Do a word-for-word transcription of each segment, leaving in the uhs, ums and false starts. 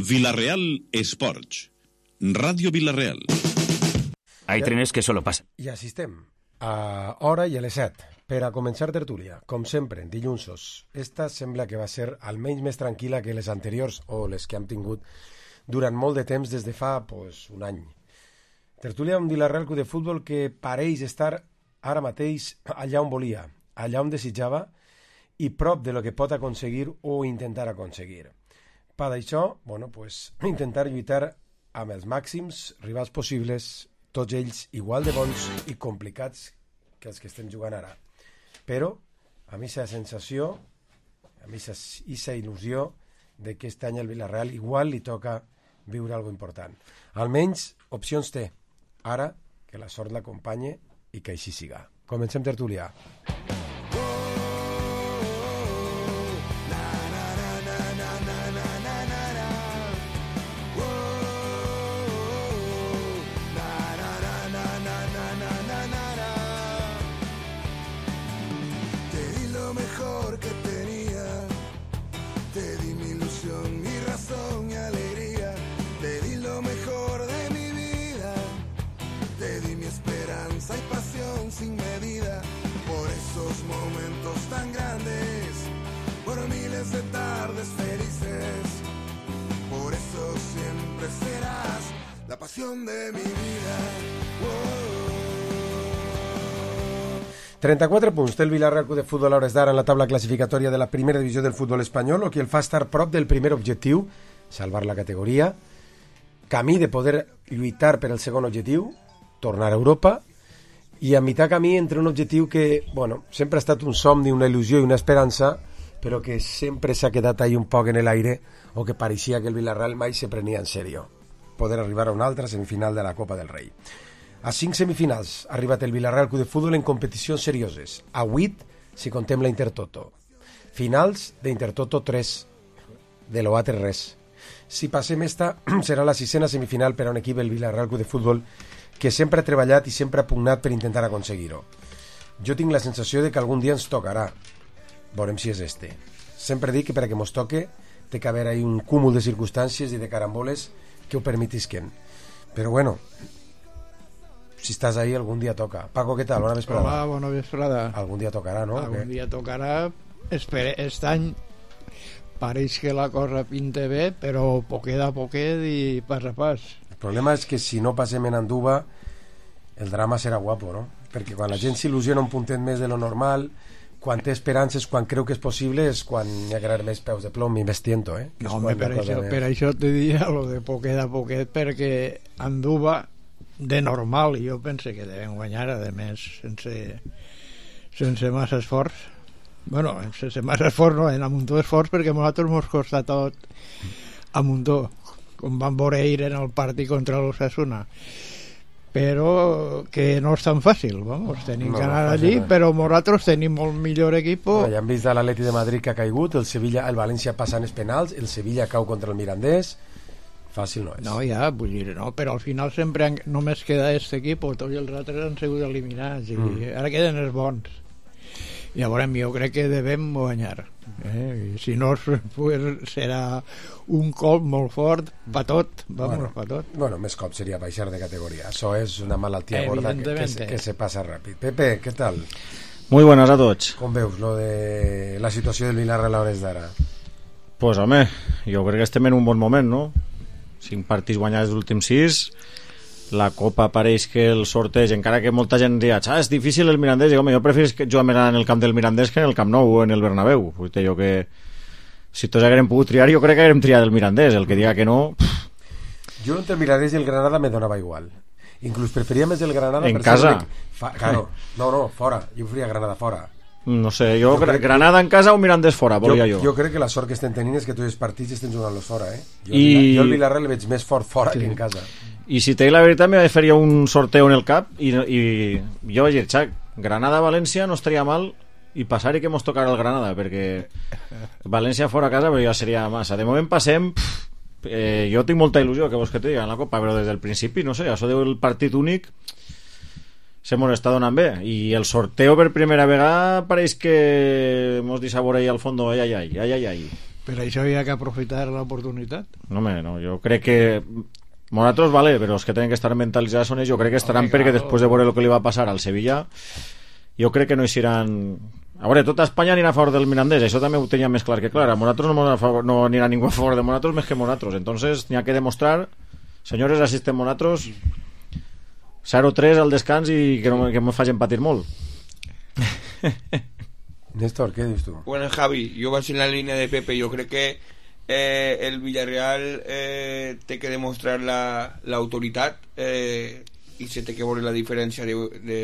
Villarreal Sports, Radio Villarreal. Hay trenes que solo pasan. I assistem a hora i a les set per a començar tertúlia, com sempre, dilluns. Esta sembla que va ser almenys més tranquil·la que les anteriors o les que hem tingut durant molt de temps des de fa pues, un any. Tertúlia amb Villarreal Club de Futbol que pareix estar ara mateix allà on volia, allà on desitjava i prop de lo que pot aconseguir o intentar aconseguir. Per això, bueno, pues, intentar lluitar amb els màxims rivals possibles, tots ells igual de bons i complicats que els que estem jugant ara. Però, a mi aquesta sensació, a mi aquesta il·lusió de que aquest any al Villarreal igual li toca viure alguna important. Almenys opcions té. Ara, que la sort l'acompanye i que així siga. Comencem tertúlia. Sin medida por esos momentos tan grandes, por miles de tardes felices, por eso siempre serás la pasión de mi vida. Oh. trenta-quatre punts té el Villarreal Club de Futbol a hores d'ara en la taula classificatòria de la primera divisió del futbol espanyol, el que el fa estar prop del primer objectiu, salvar la categoria, camí de poder lluitar per el segon objectiu, tornar a Europa, i a mitjà camí entre un objectiu que, bueno, sempre ha estat un somni, una il·lusió i una esperança, però que sempre s'ha quedat ahí un poc en l'aire, o que pareixia que el Villarreal mai se prenia en sèrio. Poder arribar a una altra semifinal de la Copa del Rei. A cinc semifinals ha arribat el Villarreal Club de Futbol en competicions serioses. A vuit, si contem la Intertoto. Finals d'Intertoto tres, de l'Oatre res. Si passem esta, serà la sisena semifinal per a un equip, el Villarreal Club de Futbol, que sempre ha treballat i sempre ha pugnat per intentar aconseguir-ho. Jo tinc la sensació de que algun dia ens tocarà. Veurem si és este. Sempre dic que per a que mos toque té que haver ahí un cúmul de circumstàncies i de caramboles que ho permetisquen. Però bueno, si estàs ahí algun dia toca. Paco, què tal? Bona vesprada. Hola, bona vesprada. Algun dia tocarà, no? Algun dia tocarà. Espere, aquest any pareix que la cosa pinta bé, però poquet a poquet i pas a pas. El problema és que si no passem en Anduba el drama serà guapo, no? Perquè quan la gent s'il·lusiona un puntet més de lo normal, quan té esperances, quan creu que és possible, és quan hi ha que més peus de plom i més tiento, eh? No, home, per això, per això te diria lo de poquet a poquet, perquè Anduba de normal jo pense que devem guanyar, a més sense, sense massa esforç. Bueno, sense massa esforç no, en amuntó esforç, perquè a nosaltres mos costa tot a muntó, com van veure ahir en el partit contra l'Osasuna, però que no és tan fàcil, vamos, tenim no, que anar no allí, no. Però nosaltres tenim molt millor equip. No, ja hem vist l'Atleti de Madrid que ha caigut, el Sevilla, el València passant els penals, el Sevilla cau contra el Mirandés, fàcil no és. No, ja, vull dir, no, però al final sempre han, només queda aquest equip, tots els altres han sigut eliminats, i mm. ara queden els bons. Llavors jo crec que devem guanyar, eh? I si no pues, serà un cop molt fort pa tot, vamos, bueno, pa tot. Bueno, més cop seria baixar de categoria, això és una malaltia gorda que, que, se, que se passa ràpid. Pepe, què tal? Muy buenas a tots. Com veus lo de la situació del Villarreal a hores d'ara? Pues home, jo crec que estem en un bon moment, no? Cinc partits guanyats dels últims sis, la Copa pareix que el sorteig, encara que molta gent diu, ah, és difícil el Mirandés, i home, jo preferís que jugar en el camp del Mirandés que en el Camp Nou o en el Bernabéu. Vull dir jo que si tots haguérem pogut triar, jo crec que haguérem triat el Mirandés, el que diga que no... Pff. Jo entre el Mirandés i el Granada me donava igual. Inclús preferia més el Granada... En casa? Fa... Claro, no, no, fora. Jo preferia Granada fora. No sé, jo, jo crec... Granada en casa o Mirandés fora, volia jo. Jo, jo crec que la sort que estem tenint és que tots els partits estem jugant-los fora, eh? Jo, I... jo el Villarreal el veig més fort fora sí. que en casa. I si t'he la veritat, me faria un sorteo en el cap i, i jo vaig dir, xac, Granada-València no estaria mal i passar i que mos tocarà el Granada, perquè València fora a casa però ja seria massa. De moment passem, pff, eh, jo tinc molta il·lusió que vos que te diga en la Copa, però des del principi, no sé, això del partit únic se mos està donant bé, i el sorteo per primera vegada pareix que mos dissabora ahí al fondo, ai, ai, ai, ai, ai, ai. Per això hi ha que aprofitar l'oportunitat. No, home, no, jo crec que Monatos vale, però els que tenen que estar mentalitzats són ells. Jo crec que estaran, perquè després de veure el que li va passar al Sevilla, jo crec que no hi seran... A veure, tota Espanya anirà a favor del Mirandés, això també ho tenia més clar que clar. A Monatos no, favor, no anirà ningú a favor de Monatos més que Monatos, entonces n'hi ha que demostrar, senyores, assisten Monatos, zero tres al descans i que no que me facin patir molt. Néstor, què dius tu? Bueno, Javi, jo vaig en la línia de Pepe. Jo crec que eh, el Villarreal eh, té que demostrar l'autoritat la, eh, i se té que veure la diferència de, de,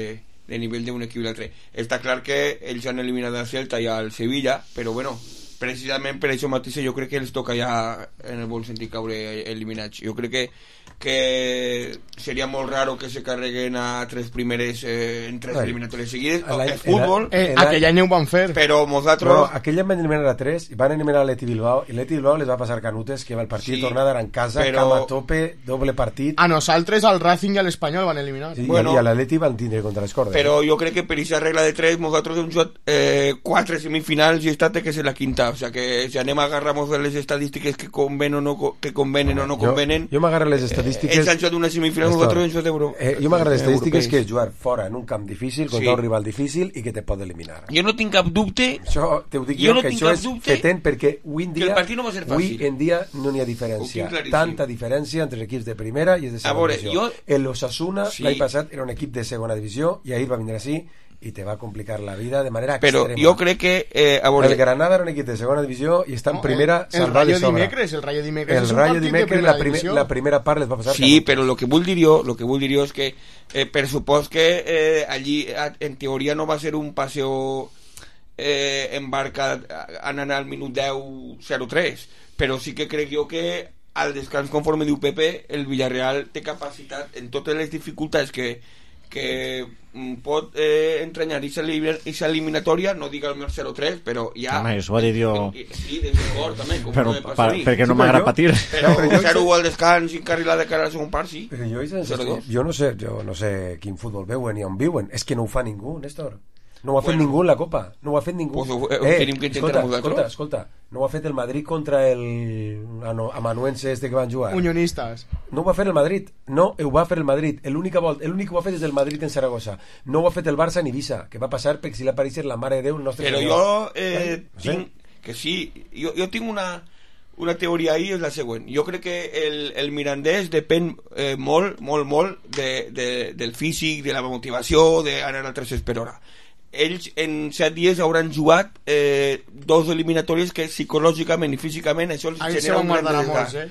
de nivell d'un equip i l'altre. Està clar que ells han eliminat el Celta i el Sevilla, però bueno, precisament per això mateix jo crec que els toca ja en el bon sentit caure eliminats. Jo crec que que seria molt raro que se carreguen a tres primeres eh, en tres eliminatòries seguides. És futbol, eh, aquell any ho van fer, però nosaltres... No, aquell any van eliminar a tres i van eliminar l'Atleti Bilbao i l'Atleti Bilbao les va passar canutes, que el partit sí, tornada en casa, però... cama a tope, doble partit. A nosaltres, al Racing i a l'Espanyol van eliminar. Sí, bueno, i a l'Atleti van tindre contra les cordes. Però jo crec que per aquesta regla de tres nosaltres hem jugat eh, quatre semifinals i estat que és la quinta, o sea que si anem a agarrar-nos de les estadístiques que convenen o no, que convenen o no convenen... Jo, jo m'agarro les estadístiques... ells han jugat una semifinal, nosaltres hem jugat d'Euro. Eh, jo m'agrada les estadístiques que és jugar fora en un camp difícil contra sí, un rival difícil i que te pot eliminar. Jo no tinc cap dubte, això te ho dic jo, jo, no que això és fetent, perquè avui en dia, no avui en dia no n'hi ha diferència, tanta diferència entre els equips de primera i els de segona veure, divisió. Jo... El Osasuna sí, l'any passat era un equip de segona divisió i ahir va vindre així i te va complicar la vida de manera però extrema. Però jo crec que... Eh, a veure... El Granada era un equip de segona divisió i està en no, primera el, el salvat de sobre. Dimecres, el Rayo Dimecres el és un Rayo partit Dimecres, de primera la, prime, divisió. La primera part les va passar... Sí, però el que vull dir jo, lo que vull dir jo és que eh, per supòs que eh, allí en teoria no va ser un passeo eh, en barca anant al minut deu zero tres, però sí que crec jo que al descans, conforme diu Pepe, el Villarreal té capacitat en totes les dificultats que que pot eh, entranyar aquesta eliminatòria, no dic el meu zero tres, però ja... Home, això ho ha dit jo... Sí, des de cor, també, com però, no me pa, perquè no sí, m'agrada patir. Però zero al descans i encarrilar de cara a la segon part, sí. Però jo, jo, jo, no sé, jo no sé quin futbol veuen ni on viuen. És que no ho fa ningú, Néstor. No ho ha fet bueno, ningú en la Copa. No ho ha fet ningú. Pues ho, ho eh, tenim que escolta, escolta, escolta. No ho ha fet el Madrid contra el amanuense este que van jugar. Unionistes. No ho va fer el Madrid. No ho va fer el Madrid. L'únic que ho ha fet és el Madrid en Saragossa. No ho ha fet el Barça en Ibiza. Què va passar? Perquè si l'apareixer la mare de Déu... El nostre Però senyor. jo eh, no sé. tinc... Que sí, jo, jo tinc una... Una teoria ahí és la següent. Jo crec que el, el mirandès depèn eh, molt, molt, molt de, de, del físic, de la motivació, d'anar a tres per hora. Ells en set dies hauran jugat eh, dos eliminatòries que psicològicament i físicament això els ahí genera un gran desgast. Eh?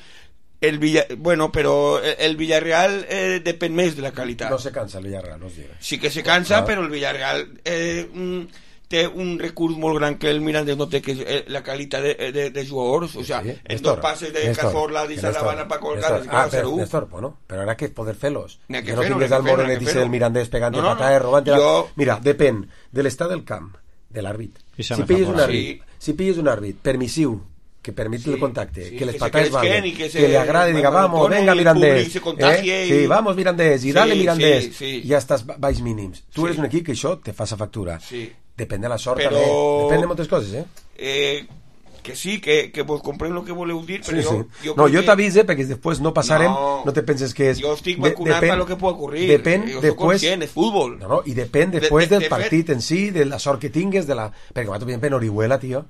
El Villa, bueno, però el Villarreal eh, depèn més de la qualitat. No se cansa el Villarreal, no es diga. Sí que se cansa, ah. però el Villarreal eh, mm, té un recurs molt gran que el Mirandés no té, que és la qualitat de, de, de jugadors. O sea, sí, en dos pases de Cazorla i Salavana para colgar ah, però, Néstor, bueno, però ara que poder fer-los. Que no tingues al Morenet i el Mirandés pegant no, no, pataes, robant jo... Mira, depèn de l'estat del camp, de l'àrbit. Si pilles un àrbit, sí. si pilles un àrbit permissiu, que permit sí, el contacte, sí, que les pataes valguen, que, que le agrade y diga, vamos, venga Mirandés, eh? sí, vamos Mirandés, y sí, dale Mirandés, sí, sí. i ja estàs baix mínims. Tu sí. eres un equip que això te fa sa factura. Sí. Depèn de la sort, però... també. Depèn de moltes coses, eh? eh que sí, que, que vos comprenc el que voleu dir, però sí, jo... Sí. Jo no, jo que... t'avise, perquè després no passarem, no, no te penses que és... Jo estic vacunat per lo que pot ocurrir. Depèn jo després... conscient, és futbol. No, no, i depèn després de, de, del partit de en si, de la sort que tingues, de la... Perquè, per exemple, en Orihuela, tio,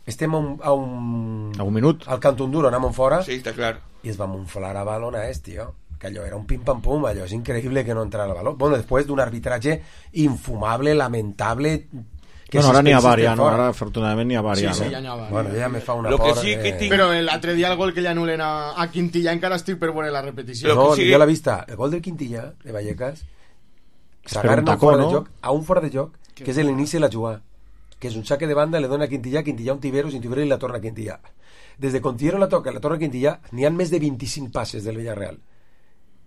estem a un... A un, a un minut. Al Cantunduro, anem fora... Sí, està clar. I es va monflar a balonès, tio. Que allò era un pim-pam-pum, allò és increïble que no entrara el baló. Bueno, després d'un arbitratge infumable, lamentable... Que no, ara n'hi ha var, ja, no? Ara afortunadament n'hi ha var, sí, ja, sí, no? ja n'hi ha var. Bueno, ja me fa una lo por... Que sí que tinc... Però l'altre dia el gol que li anulen a, a Quintilla encara estic per veure la repetició. No, sí... jo l'he vista. El gol del Quintilla, de Vallecas, s'agarren un fora no? de joc, a un fora de joc, que és l'inici de la jugada. Que és un saque de banda, le dona a Quintilla, Quintilla un Tiveros, i un Tiveros i la torna a Quintilla. Des de Contiero la toca, la torna a Quintilla, n'hi ha més de vint-i-cinc passes del Villarreal.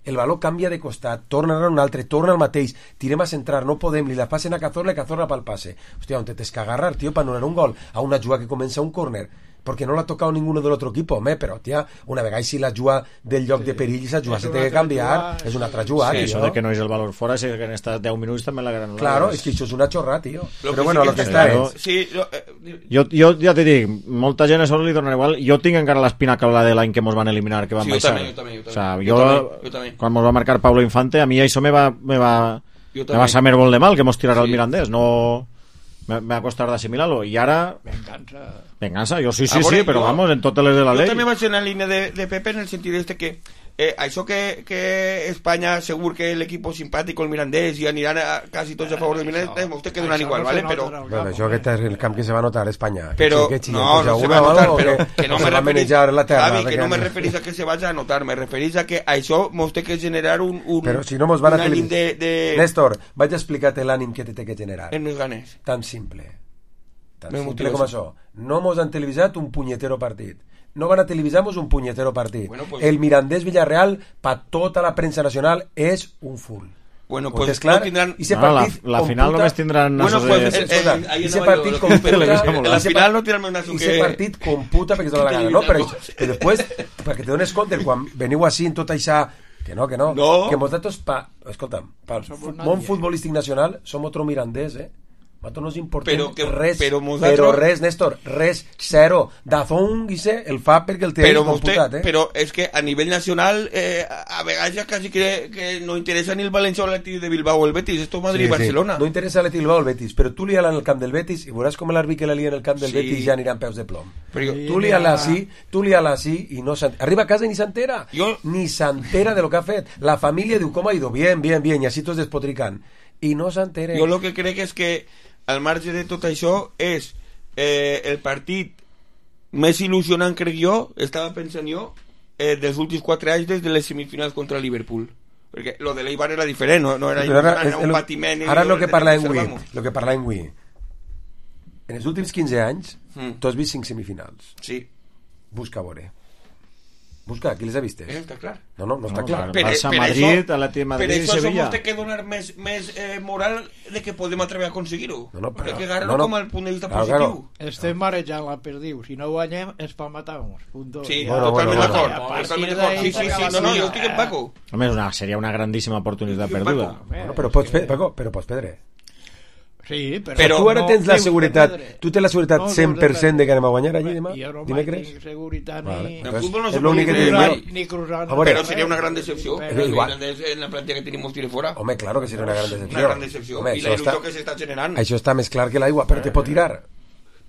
El baló canvia de costat, torna a un altre, torna al mateix, tirem a centrar, no podem, li la passen a Cazorla, Cazorla pel passe. Hòstia, on te tens que agarrar, tio, per anul·lar un gol a una jugada que comença un córner. porque no l'ha tocat ninguno del otro equipo, home, però, tia, una vegada si la juga del lloc sí. de perill, s'ha jugat, s'ha de canviar, és una altra jugada, sí, tio. Això de que no és el valor fora, és que en estat deu minuts també la gran... Claro, és que això és una xorrada, tio. Lo Però que bueno, sí el que que està claro. és... Sí, lo, eh, Jo, jo ja t'he dit, molta gent a això li dona igual. Jo tinc encara l'espina clavada de l'any que mos van eliminar, que van Sí, jo baixar. també, jo també, jo també. O sea, Jo jo, també, jo també. quan mos va marcar Pablo Infante, a mi això me va, me va, Jo me també. va saber molt de mal que mos tirara Sí. el Mirandés. No... Me, me va costar d'assimilar-lo. I ara... Venganza. Venganza, jo sí, sí, A veure, sí, però jo- vamos, en totes les de la Jo llei. també vaig en la línia de, de Pepe en el sentit este que eh, això que, que Espanya segur que l'equip simpàtic, el Mirandés, i aniran a, quasi tots a favor del Mirandés, eh, vostè que donen igual, ¿vale? Però, Bueno, això aquest és el camp que se va notar a Espanya. però que, que no, no se va a notar, però que no me va referís, manejar la terra. Javi, que no me referís a que se vaya a notar, me referís a que això mos té que generar un, un, Però si no mos van a un ànim televisar... de, de... Néstor, vaig a explicar-te l'ànim que te té que generar. en els ganes. Tan simple. Tan Me simple motiva com això. això. No mos han televisat un punyetero partit. No van a televisar-mos un punyetero partit. Bueno, pues- El Mirandés Villarreal, pa tota la premsa nacional, és un full. Bueno, Pues pues clar, no tindran... i ese No, la, partit la computa- final només tindran Bueno, nassos pues, de... eh, Escolta, eh, ahí ese anava partit jo, computa... en la ese final pa- no tindran un nasso ese que... partit computa perquè te dona la gana, no? Però, però després, perquè te dones compte, quan veniu així en tot això, que no, que no, No. que nosaltres, pa, escolta'm, pel fu- món futbolístic nacional, som otro Mirandés, eh? Nosaltres no ens importem Però que- res, però però, nosaltres- res, Néstor, res, zero. Dazón, Guise, el fa perquè el té Però, computat, vostè, eh? però és que a nivell nacional eh, a vegades ja quasi que, que no interessa ni el València o l'Atlètic de Bilbao o el Betis, esto Madrid i Barcelona. No interessa l'Atlètic Bilbao o el Betis, però tu lia-la en el camp del Betis i veuràs com l'àrbitre que la lia en el camp del Sí. Betis ja anirà en peus de plom. Però jo, Sí. Tu lia-la així, tu lia-la així i no s'ent- arriba a casa i ni s'entera. Jo- Ni s'entera de lo que ha fet. La família diu, com ha ido? Bien, bien, bien, i així tots despotricant. I no s'entera. jo el que crec és que al marge de tot això és eh, el partit més il·lusionant, crec jo, estava pensant jo, eh, dels últims quatre anys des de les semifinals contra el Liverpool. Perquè lo de l'Eibar era diferent, no, no era, Però ara, era és, un el, patiment. ara lo que parlàvem avui, observamos. lo que parlàvem avui. En els últims quinze anys, Mm. tu has vist cinc semifinals. Sí, Busca a veure. Busca, qui les ha vistes? eh, està clar. No, no, no està No, clar. clar. Barça, Madrid, Atlètic de Madrid per i això Sevilla. som té que donar més, més eh, moral de que podem atrever a aconseguir-ho. No, no, però- Hay que agarrar-lo no, no. com a punt de vista Claro, positiu. Estem marejant la perdiu. Si no guanyem, és per matar-nos. Punto. Sí, Bueno, totalment bueno, d'acord. bueno. Totalment A d'acord. partir Sí, sí, d'ahí sí, no, no, jo estic en Paco. Home, és una, seria una grandíssima oportunitat Sí, perduda. Paco. Bueno, però pots, pe- Paco, però pots perdre. Sí, però... Però tu ara no tens la tinc seguretat, perdre. tu tens la seguretat No, no, cent per cent no, de que anem a guanyar allí Home, demà? Jo no mai Dimecres? tinc seguretat Vale. ni... En Pues fútbol no és se l'únic puede que te cruzar, digo. ni cruzar. A veure, Pero sería una gran decepción. Pero El igual. Mirandés en la plantilla que tenemos tiene fuera. Home, claro que seria una gran decepció. Una gran decepció. Home, I la això il·lusió està, que s'està generant. això està més clar que l'aigua, però te pot tirar.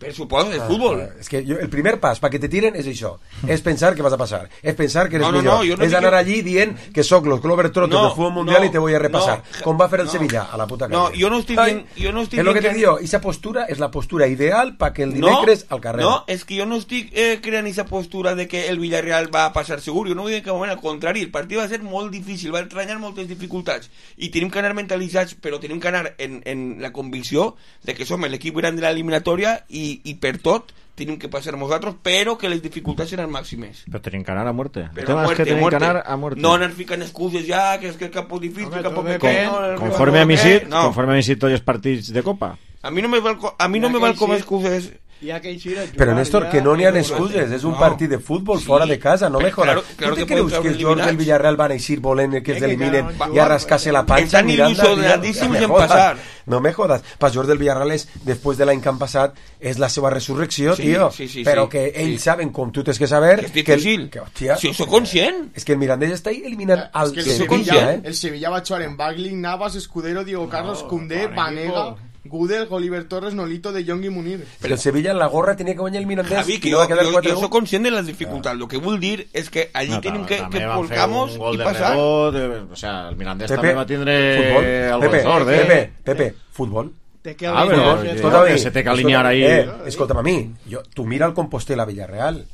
Per suposo, el fútbol. Ah, és que jo, el primer pas perquè te tiren és això, és pensar que vas a passar, és pensar que eres No, no, millor, no, jo no és dic anar que- allí dient que sóc los Globetrotters No, del futbol mundial no, i te voy a repassar, no, com va fer el no. Sevilla, a la puta No, calle. jo no estic Ai, dient- jo no estic és lo que dient te que- digo, esa postura és la postura ideal para que el dimecres al carrer. No, és que jo no estic eh, creant aquesta postura de que el Villarreal va a passar segur. Jo no vull dir que moment, al contrari, el partit va ser molt difícil, va entranyar moltes dificultats i tenim que anar mentalitzats, però tenim que anar en, en la convicció de que som l'equip gran de l'eliminatòria i, i per tot tenim que passar nosaltres, però que les dificultats seran màximes. Però tenim que anar a muerte. El Però tema a és muerte, que tenim muerte. que anar a muerte. No anar ficant excuses ja, que és que el campo difícil, Home, el campo tot pequeño... depèn. el Conforme a campo mi no, sit, no. conforme a mi sit tots els partits de Copa. A mi no me val, co- a mi no Ja me que val sí. com excuses... Ja que hi a Però Néstor, que no n'hi ha ja, excuses, és un No. partit de futbol Sí. fora de casa, no me Però jodas. claro- claro tu te que creus podem que els treure jugadors del eliminats? Villarreal van a eixir volent que els Eh, que eliminen quedaron i a rascar-se la panxa Estan mirant... il·lusionadíssims No me en jodas, passar. No me jodas. Per jugadors del Villarreal és, després de l'any que han passat, és la seva resurrecció, Sí, tio. sí, sí, Però sí. que ells Sí. saben, com tu tens que saber... Que és que el- difícil. Que, hòstia, Si sóc conscient. És que el Mirandés està ahí eliminant al Es que el Sevilla, Sevilla, eh? el Sevilla va a jugar en Bagley, Navas, Escudero, Diego Carlos, Koundé, bon Vanega, equipo. Gudel, Oliver Torres, Nolito, De Jong y Munir. Però el Sevilla en la gorra tenia que guanyar el Mirandés Javi, i que no jo, va quedar jo, quatre jo u. soc conscient de les dificultats. Lo que vull dir és que allí No, tenim tam- que, també que van fer volcamos un gol i de passar. rebot, de- o sea, el Mirandés Pepe, també va tindre futbol. el Pepe, sort, eh? Pepe, Pepe, futbol. Té que Ah, alinear, però, ja escolta, està. que se té que alinear ahí. Eh, escolta'm a mi, jo, tu mira el Compostela Villarreal,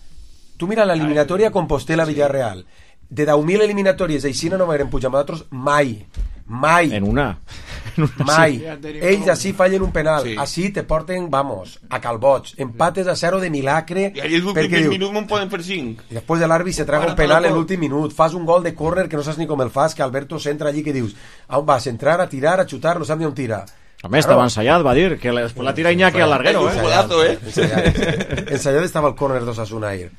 tu mira l'eliminatòria Compostela Villarreal, de deu mil eliminatòries així no m'haguem pujat amb nosaltres mai, mai, En una. En una mai. Ja tenim Ells prou. així fallen un penal, Sí. així te porten, vamos, a Calboig, empates a zero de milagre, I allí els últims perquè vint diu, minuts me'n poden fer cinc. i després de l'àrbit se traga Para un penal todo. en l'últim minut, fas un gol de córner que no saps ni com el fas, que Alberto s'entra allí que dius, a on vas, a entrar, a tirar, a xutar, no saps ni on tira. Home, estava ensayat, va dir, que després la tira Iñaki al larguero, Un eh? golazo, eh? Ensayat, ensayat estava al córner d'Osasuna ahir.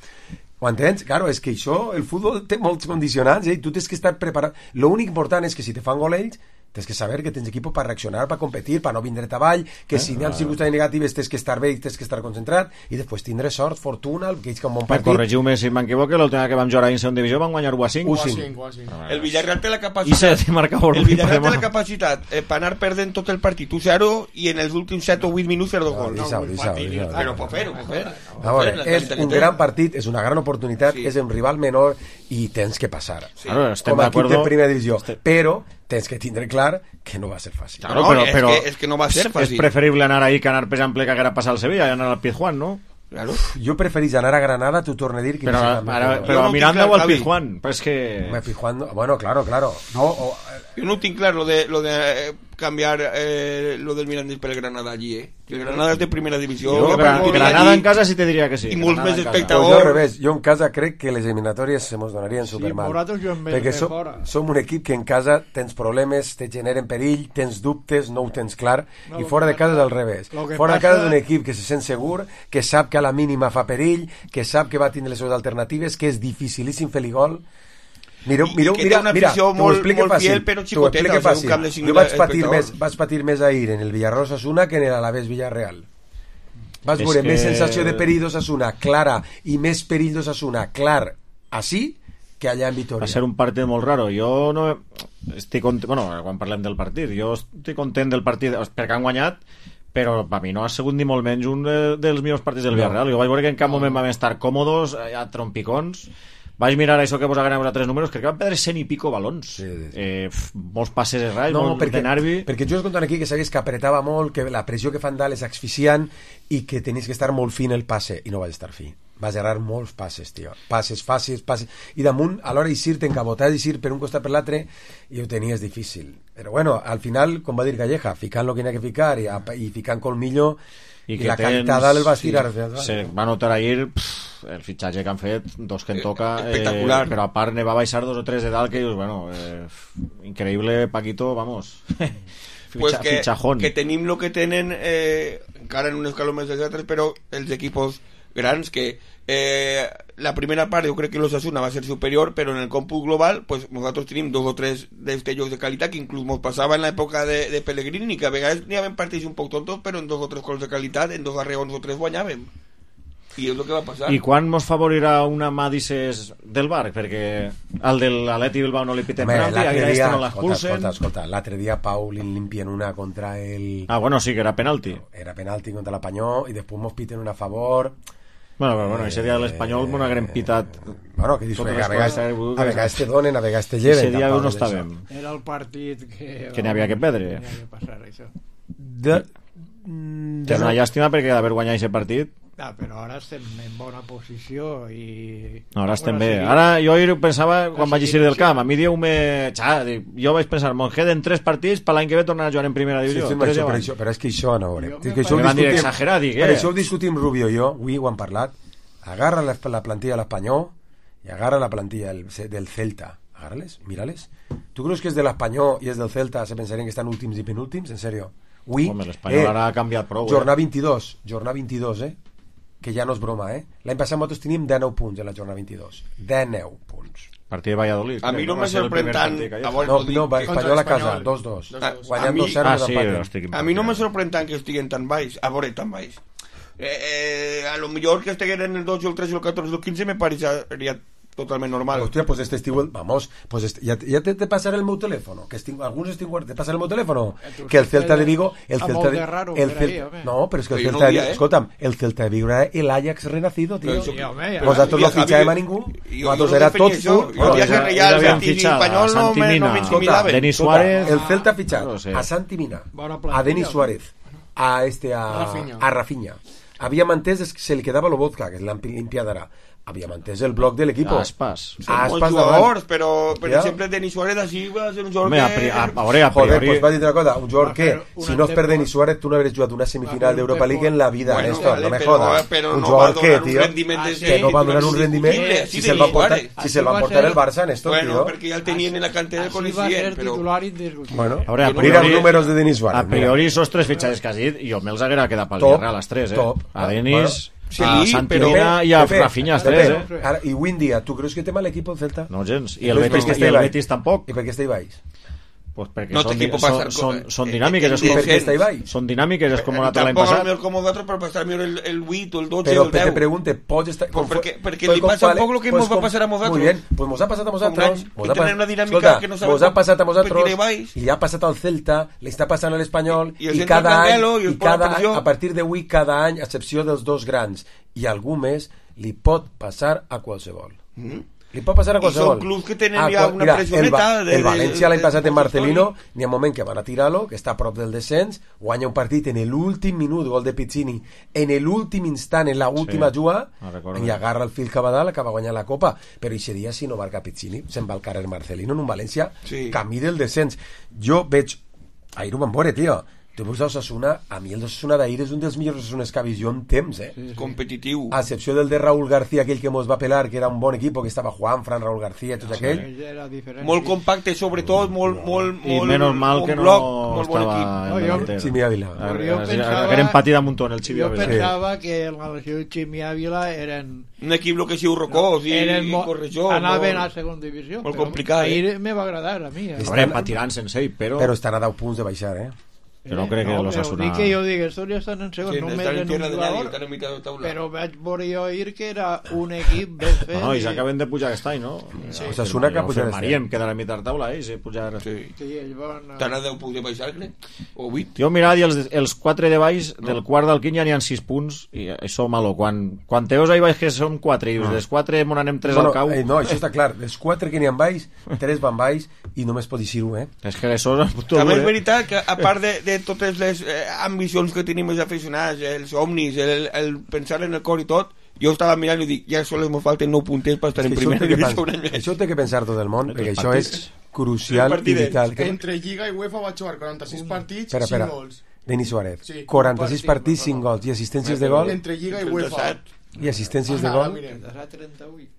Ho entens? Claro, és que això, el futbol té molts condicionants, eh? I tu tens que estar preparat. L'únic important és que si te fan gol ells, tens que saber que tens equip per reaccionar, per competir, per no vindre avall, que eh? si hi ha circumstàncies negatives tens que estar bé i tens que estar concentrat, i després tindre sort, fortuna, que ells que un bon partit. Corregiu-me si m'equivoco, l'última que vam jugar a segona divisió van guanyar u a cinc. u a cinc. El Villarreal té la I capacitat... se marcava El Villarreal té la capacitat eh, per anar perdent tot el partit u zero i en els últims set o vuit minuts fer dos gols. Deixa-ho, deixa-ho, deixa-ho. Però pot fer-ho, pot fer. A veure, és un gran partit, és una gran oportunitat, Sí. és un rival menor i tens que passar. Claro, estem Com a equip de d'acuerdo. primera divisió. Però tens que tindre clar que no va ser fàcil. Claro, No, però, és però que- és que no va ser fàcil. És preferible anar ahí que anar, per exemple, que haguera passat al Sevilla i anar al Pizjuán, no? Claro. Jo preferís anar a Granada, t'ho torno a dir, que Però, visitar ara, Madrid. però no mirant tinc clar, o al Javi. Pizjuán, pues que... Home, Pizjuán no- bueno, claro, claro. No, o, Yo no tengo claro lo de, lo de eh, cambiar eh, lo del Mirandés por el Granada allí, eh. El Granada es de primera división. Jo, Lo Gran- que Granada allí, en casa sí te diria que sí. I molts Granada més en casa. espectadors. Pues jo al revés, jo en casa crec que les eliminatòries se mos donarien Sí, supermal. nosaltres juguem més perquè que som, fora. som un equip que en casa tens problemes, te generen perill, tens dubtes, no ho tens clar, No, i lo fora que de casa és passa- al revés. lo que Fora de passa- casa és un equip que se sent segur, que sap que a la mínima fa perill, que sap que va tindre les seves alternatives, que és dificilíssim fer-li gol. Mireu, I- i mireu, que té mira, una mira, afició t'ho molt- explico molt fàcil, fiel, però t'ho xicoteta, explico o sigui, un fàcil. camp de Jo cinc vaig mil patir, més, espectadors. vaig patir més ahir en el Villarreal Osasuna que en l'Alavés Villarreal. Vas És veure que- més sensació de perill d'Osasuna clara i més perill d'Osasuna clar així que allà en Vitoria. Va ser un partit molt raro. Jo no estic content, bueno, quan parlem del partit, jo estic content del partit perquè han guanyat, però per mi no ha sigut ni molt menys un de, dels millors partits del Villarreal. Jo vaig veure que en cap moment vam estar còmodes, a trompicons. Vaig mirar això que vos agraden a tres números, crec que van perdre cent i pico balons. Sí, sí, sí. Eh, pf, molts passes errats, No, molt perquè, de nervi. perquè jo us contant aquí que sabés que apretava molt, que la pressió que fan dalt és asfixiant i que tenies que estar molt fin el passe, i no vaig estar fi. Vas errar molts passes, tio. Passes fàcils, passes... I damunt, a l'hora d'eixir, t'encabotar d'eixir per un costat per l'altre, i ho tenies difícil. Però bueno, al final, com va dir Calleja, ficant lo que n'hi ha que ficar i, i ficant colmillo, i, i que la tens- cantada el vas sí, tirar. Sí, se va notar ahir pff, el fitxatge que han fet, dos que en toca, eh, espectacular. però a part ne va baixar dos o tres de dalt que dius, bueno, eh, increïble Paquito, vamos. Fitxa, Pues que, fitxajón. que tenim lo que tenen eh, encara en un escaló més dels altres, però els equipos grans que eh, la primera part jo crec que l'Osasuna va ser superior, però en el còmput global pues nosaltres tenim dos o tres destellos de qualitat que inclús ens passava en l'època de, de Pellegrini, que a vegades n'hi havia partits un poc tontos, però en dos o tres gols de qualitat, en dos arreons o tres guanyàvem. I és el que va passar. I quan mos favorirà una mà, dices, del Bar? Perquè al de l'Atleti Bilbao no li pitem Home, penalti, a l'altre este dia, no escolta, l'expulsen. escolta, escolta, l'altre dia Pau li limpien una contra el... Ah, bueno, sí que era penalti. Era penalti contra l'Apanyó, i després mos piten una a favor... Bueno, però bueno, ese dia l'Espanyol m'ho haguem pitat. Bueno, que dius, Totes a les vegades, coses, a vegades te donen, a vegades te lleven. Ese dia tampoc no és estàvem. això. Era el partit que... Que n'hi havia que perdre. Que n'hi havia que passar, això. De... mm, Que és una llàstima perquè d'haver guanyat aquest partit. Ah, però ara estem en bona posició i... No, ara estem Bueno, bé. sí. Ara jo ahir pensava, quan sí, vaig eixir sí, del sí. camp, a mi dieu-me... Xa, dic, jo vaig pensar, mos queden tres partits per l'any que ve tornar a jugar en primera Sí, divisió. sí, Tres això, ja però, van. això, però és que això no, veure. Jo És me que això ho Me van dir discutim- exagerat, dic, per eh? això ho discutim Rubio i jo, avui ho hem parlat. Agarra la, la plantilla de l'Espanyol i agarra la plantilla del, del Celta. Agárrales, mírales. ¿Tú crees que és de l'Espanyol i és del Celta se pensarien que estan últims i penúltims? En serio? Ui, Home, l'Espanyol ara ha canviat prou, eh? jornada vint-i-dos, jornada vint-i-dos, eh? Que ja no és broma, eh? L'any passat nosaltres teníem dinou punts en la jornada vint-i-dos. dinou punts. Partit de Valladolid. A mi crec, no va me ser el sorprèn primer tant... partit que hi a ha. veure, No, ho dic, no, va, contra Espanyol a casa, l'Espanyol. dos dos. Ah, Guanyant a mi- dos zero Ah, no sí, empaten. estic A mi no me sorprèn tant que estiguen tan baix, a veure, tan baix. Eh, eh, a lo millor que estiguin en el dos, el tres, el catorze, el quinze me pareixeria totalment normal. Hostia, pues este estiu, vamos, pues este, ya, ya te, te pasaré el meu teléfono, que estiu, algunos estiu, te pasaré el meu teléfono, que el Celta de Vigo, el a Celta molt de, de raro el per Cel- ahí, home. no, pero es que el Pero yo Celta no de dia, Vigo, eh. escolta'm, el Celta de Vigo era el Ajax renacido, tío. Pero eso- Sí, home, ja. Vosaltres no Javi, fitxàvem a ningú, jo- vosaltres jo era no definia tots això. full. Jo dia que ja- Real, ja havien Betis i fitxat a Espanyol no Santi me, no Mina. me Escolta, intimidaven. Denis escolta, Suárez. el Celta ha fichado No lo sé. a Santi Mina, Bona plantilla, a Denis home. Suárez, a este a Rafinha. a Rafinha. Havia mantès que se li quedava lo vodka, que és l'han limpiat ara. había mantès el bloc de l'equip. Aspas. Són molts jugadors, però per Ja. exemple Denis Suárez així va ser un jugador Home, a, que... pri a, a, veure, a Joder, priori... pues va dir una cosa, un jugador Va que, fer una si no es per temporada- Denis Suárez, tu no hauries jugat una semifinal Va fer d'Europa un League en la vida, Bueno, Néstor, vale, no me però- jodas. però Un no jugador va que, donar un tio, rendiment Ah, de- sí. que no va donar un rendiment, indiscutible, si així se'l de va portar, Suárez. si se'l va Així va portar ser- el Barça, Néstor, Bueno, tio. perquè ja el tenien en la cantera del Així va coneixien, ser però... titular indiscutible. Bueno, A veure, a mira priori- els números de Denis Suárez. A priori, esos tres fitxatges que has dit, jo me'ls haguera quedat pel Top, Villarreal, les tres, eh? top. A Denis, Sí, a però- Santimina i a Rafinha, els tres, eh? Ara, i avui en dia, tu creus que té mal l'equip el Celta? No gens. I el Entonces, Betis, ¿por qué i el está Ibai? Betis tampoc. I per què està Ibai? Pues perquè No té són, equipo di- para són, estar són, co- són eh, dinàmiques, és eh, com, Per què està Ibai? són dinàmiques, és com l'any Tampoc passat. el millor com nosaltres per passar millor el, el vuit o el dotze Però o el te deu. pregunte, pots estar... Pues perquè- perquè pues li com passa un vale, poc lo que pues mos va com- passar a nosaltres. Muy bien, pues mos ha passat a nosaltres. Un any, Mos que ha tenen pas- una dinàmica Escolta, que no saben mos ha com passat a competir nosaltres baix. i li ha passat al Celta, li està passant a l'Espanyol I- i els i entra cada any, Candelo i els i posa cada any, pressió. a partir d'avui, cada any, a excepció dels dos grans i algú més, li pot passar a qualsevol. Li pot passar a I qualsevol. són clubs que tenen Ah, ja qual- una mira, pressioneta el, Va- de- el València l'any de- passat de en Marcelino història. n'hi ha un moment que van a tirar-lo, que està a prop del descens, guanya un partit en l'últim minut, gol de Pizzini, en l'últim instant, en l'última Sí, juga, me'n recordo. i agarra el fil cap a dalt, acaba guanyant la Copa. Però aquest dia, si no marca Pizzini, se'n va al carrer Marcelino en un València, Sí. camí del descens. Jo veig... Ahir ho vam veure, tio. Tu veus l'Osasuna, a mi el d'Osasuna d'ahir és un dels millors Osasunes que ha vist jo en temps, eh? Competitiu. A excepció del de Raúl García, aquell que mos va pelar, que era un bon equip, que estava Juan, Fran, Raúl García, tot aquell. Ell era diferent. Molt compacte, sobretot, molt, molt, I molt, menys mal molt que no bloc, molt bon estava equip. en No, jo- delantera. Ximi Ávila. A- Però jo a- pensava- Haguera empatit a muntó en el Ximi Jo Ávila. pensava que la lesió de Ximi Ávila eren... Un equip lo que siu rocós i, eren i mo- correjó. anaven molt- a segona divisió. molt però complicat, eh? Ahir me va agradar a mi. Eh? A veure, empatiran sense ell, però... Però estan a deu punts de baixar, eh? Jo no crec que no, l'Osasuna- Però dic que jo dic, estos ja estan en segon, Sí, només estan en en tierra un de nadie, jugador. estan en mitad de taula. Però vaig veure jo ahir que era un equip ben fet. No, no, i i- s'acaben de pujar aquest any, no? Sí. Osasuna que ha pujat este Firmaríem, quedar a mitad taula, eh? Si pujar... Sí. Sí, ells van... Estan a deu punts de baixar, crec? O vuit? Jo mirava i els, els quatre de baix, del quart del quint ja n'hi ha sis punts, i això malo. Quan, quan teus ahí baix que són quatre, i dels quatre mon anem tres Bueno, al cau, eh, no, això està clar. Els quatre que n'hi ha baix, tres van baix i només pot dir un, eh? és que això és tot També dur, és eh? veritat que, a part de, de totes les eh, ambicions que tenim els aficionats, els somnis, el, el pensar en el cor i tot, jo estava mirant i dic, ja sols ens falten nou punters per estar És en que això, primera té que divisió pensar, un any més. això té que pensar tot el món, perquè Els això és partits. crucial Els i partidets. vital. Que... Entre Lliga i UEFA va jugar quaranta-sis partits, Espera, espera. cinc gols. Denis Suárez, Sí, quaranta-sis un partit, partits, per cinc favor. gols i assistències de gol Entre Lliga i UEFA. trenta-set. i assistències de Ah, gol mira. Desde trenta-vuit.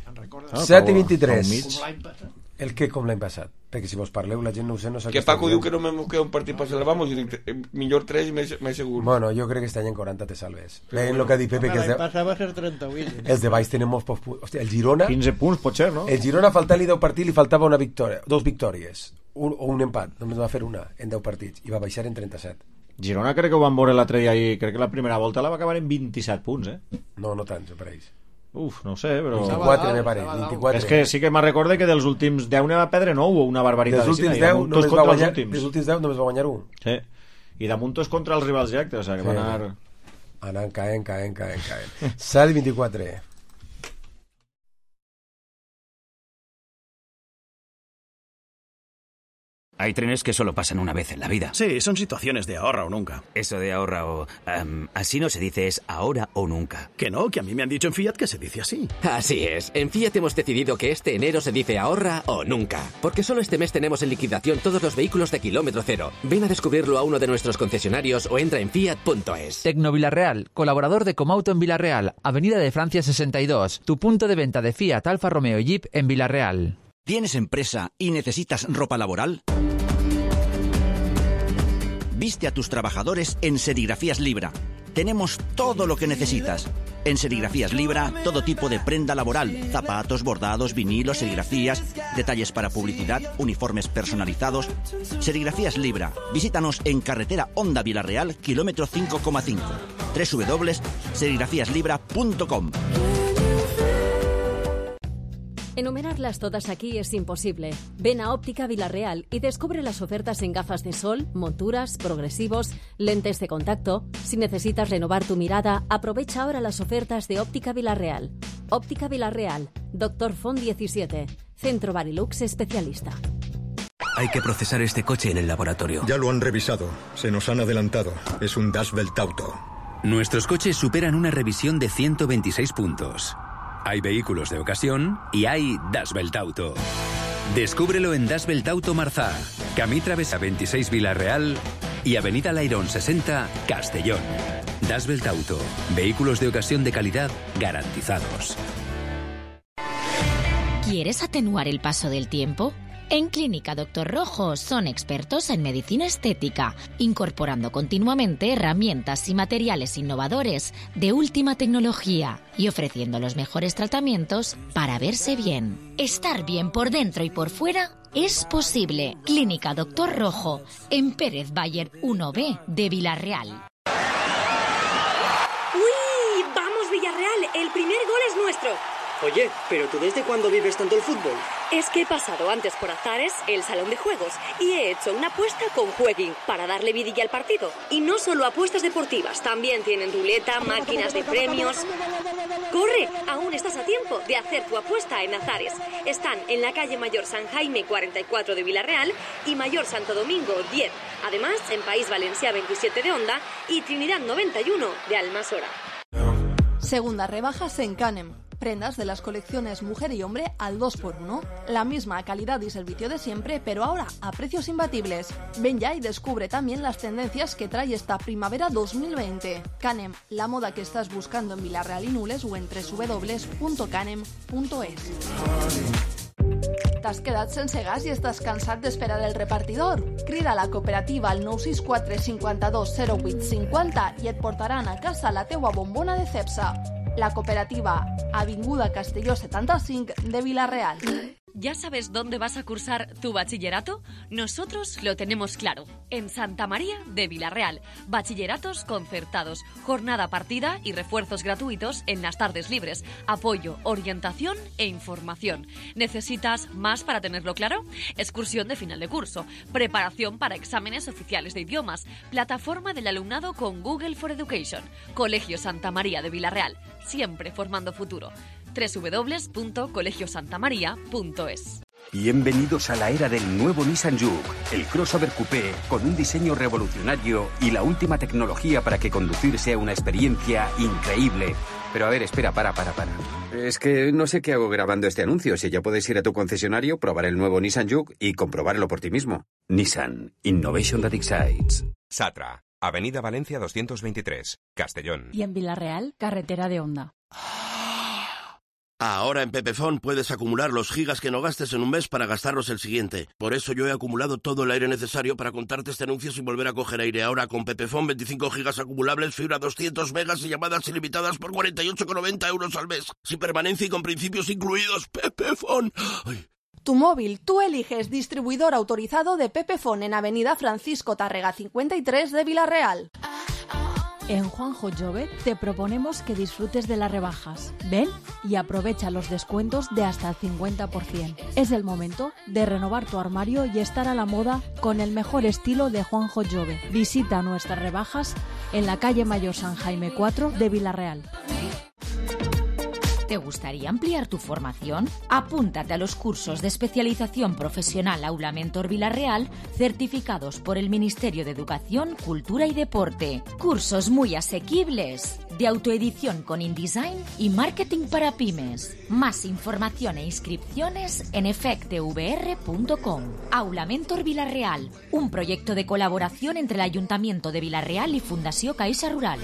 En recordes? Ah, set i com- vint-i-tres. com Com mig. l'any passat. El que com l'any passat, perquè si vos parleu la gent no ho sé, no sap Que què esteu Paco diu dient. que no me queda un partit per salvar-nos, i dic, eh, millor tres més, més segur. Bueno, jo crec que este any en quaranta te salves. Veient el que ha dit Pepe, que els L'any de, passat va ser trenta-vuit. els de baix tenen molts pocs punts. Hòstia, el Girona, quinze punts, pot ser, no? el Girona faltant-li deu partits li faltava una victòria, dos victòries, un, o un empat, només va fer una en deu partits i va baixar en trenta-set. Girona crec que ho van veure l'altre dia i crec que la primera volta la va acabar en vint-i-set punts, eh? No, no tants, me pareix. Uf, no ho sé, però... vint-i-quatre, me dalt, pareix, estava dalt. vint-i-quatre. És que sí que me'n recorde que dels últims deu n'hi va perdre nou o una barbaritat. Dels últims així, i deu damunt només tots va contra els guanyar, últims. dels últims deu només va guanyar un. Sí. I damunt tots contra els rivals directes, o sigui, que Sí. van anar... Anant caent, caent, caent, caent. set i vint-i-quatre. Hay trenes que solo pasan una vez en la vida. Sí, son situaciones de ahorra o nunca. Eso de ahorra o... em, así no se dice, es ahora o nunca. Que no, que a mí me han dicho en Fiat que se dice así. Así es, en Fiat hemos decidido que este enero se dice ahorra o nunca, porque solo este mes tenemos en liquidación todos los vehículos de kilómetro cero. Ven a descubrirlo a uno de nuestros concesionarios o entra en fiat punto es. Tecno Villarreal, colaborador de Comauto en Villarreal, Avenida de Francia sesenta y dos, tu punto de venta de Fiat, Alfa Romeo y Jeep en Villarreal. ¿Tienes empresa y necesitas ropa laboral? Viste a tus trabajadores en Serigrafías Libra. Tenemos todo lo que necesitas. En Serigrafías Libra, todo tipo de prenda laboral, zapatos, bordados, vinilos, serigrafías, detalles para publicidad, uniformes personalizados. Serigrafías Libra. Visítanos en carretera Honda Villarreal, kilómetro cinco coma cinco. doble u doble u doble u punto serigrafías libra punto com. Enumerarlas todas aquí es imposible. Ven a Óptica Villarreal y descubre las ofertas en gafas de sol, monturas, progresivos, lentes de contacto. Si necesitas renovar tu mirada, aprovecha ahora las ofertas de Óptica Villarreal. Óptica Villarreal, Doctor Font diecisiete, Centro Barilux especialista. Hay que procesar este coche en el laboratorio. Ya lo han revisado. Se nos han adelantado. Es un Dashbelt Auto. Nuestros coches superan una revisión de ciento veintiséis puntos. Hay vehículos de ocasión y hay Das Welt Auto. Descúbrelo en Das Welt Auto Marzá, Camí Travesa veintiséis Vila-real y Avenida Lairón sesenta, Castellón. Das Welt Auto, vehículos de ocasión de calidad garantizados. ¿Quieres atenuar el paso del tiempo? En Clínica Doctor Rojo son expertos en medicina estética, incorporando continuamente herramientas y materiales innovadores de última tecnología y ofreciendo los mejores tratamientos para verse bien. Estar bien por dentro y por fuera es posible. Clínica Doctor Rojo, en Pérez Bayer uno B de Villarreal. ¡Uy! ¡Vamos, Villarreal! El primer gol es nuestro. Oye, ¿pero tú desde cuándo vives tanto el fútbol? Es que he pasado antes por Azares, el salón de juegos, y he hecho una apuesta con Jueguin para darle vidilla al partido. Y no solo apuestas deportivas, también tienen ruleta, máquinas de premios. ¡Corre! Aún estás a tiempo de hacer tu apuesta en Azares. Están en la calle Mayor San Jaime cuarenta y cuatro de Villarreal y Mayor Santo Domingo diez. Además, en País Valencià veintisiete de Onda y Trinidad noventa y uno de Almasora. Segundas rebajas en Canem. Prendas de las colecciones mujer y hombre al dos por uno. La misma calidad y servicio de siempre, pero ahora a precios imbatibles. Ven ya y descubre también las tendencias que trae esta primavera dos mil veinte. Canem, la moda que estás buscando en Villarreal y Nules o en doble u doble u doble u punto canem punto es. T'has quedat sense gas i estàs cansat d'esperar el repartidor? Crida a la cooperativa al nou sis quatre cinquanta-dos zero vuit cinquanta i et portaran a casa la teua bombona de Cepsa. La cooperativa Avinguda Castelló setenta y cinco de Villarreal. ¿Ya sabes dónde vas a cursar tu bachillerato? Nosotros lo tenemos claro. En Santa María de Villarreal. Bachilleratos concertados, jornada partida y refuerzos gratuitos en las tardes libres. Apoyo, orientación e información. ¿Necesitas más para tenerlo claro? Excursión de final de curso. Preparación para exámenes oficiales de idiomas. Plataforma del alumnado con Google for Education. Colegio Santa María de Villarreal. Siempre formando futuro. doble u doble u doble u punto colegio santa maría punto es. Bienvenidos a la era del nuevo Nissan Juke, el crossover coupé con un diseño revolucionario y la última tecnología para que conducir sea una experiencia increíble. Pero a ver, espera, para, para, para. Es que no sé qué hago grabando este anuncio. Si ya puedes ir a tu concesionario, probar el nuevo Nissan Juke y comprobarlo por ti mismo. Nissan, Innovation that excites. Satra, Avenida Valencia doscientos veintitrés, Castellón. Y en Villarreal, carretera de Onda. Ahora en Pepefon puedes acumular los gigas que no gastes en un mes para gastarlos el siguiente. Por eso yo he acumulado todo el aire necesario para contarte este anuncio sin volver a coger aire. Ahora con Pepefon veinticinco gigas acumulables, fibra doscientos megas y llamadas ilimitadas por cuarenta y ocho con noventa euros al mes. Sin permanencia y con principios incluidos. Pepefon. Ay. Tu móvil, tú eliges distribuidor autorizado de Pepefon en Avenida Francisco Tárrega cincuenta y tres de Villarreal. En Juanjo Jove te proponemos que disfrutes de las rebajas. Ven y aprovecha los descuentos de hasta el cincuenta por ciento. Es el momento de renovar tu armario y estar a la moda con el mejor estilo de Juanjo Jove. Visita nuestras rebajas en la calle Mayor San Jaime cuatro de Villarreal. ¿Te gustaría ampliar tu formación? Apúntate a los cursos de especialización profesional Aula Mentor Villarreal, certificados por el Ministerio de Educación, Cultura y Deporte. Cursos muy asequibles, de autoedición con InDesign y marketing para pymes. Más información e inscripciones en efectvr punto com. Aula Mentor Villarreal, un proyecto de colaboración entre el Ayuntamiento de Villarreal y Fundació Caixa Rural.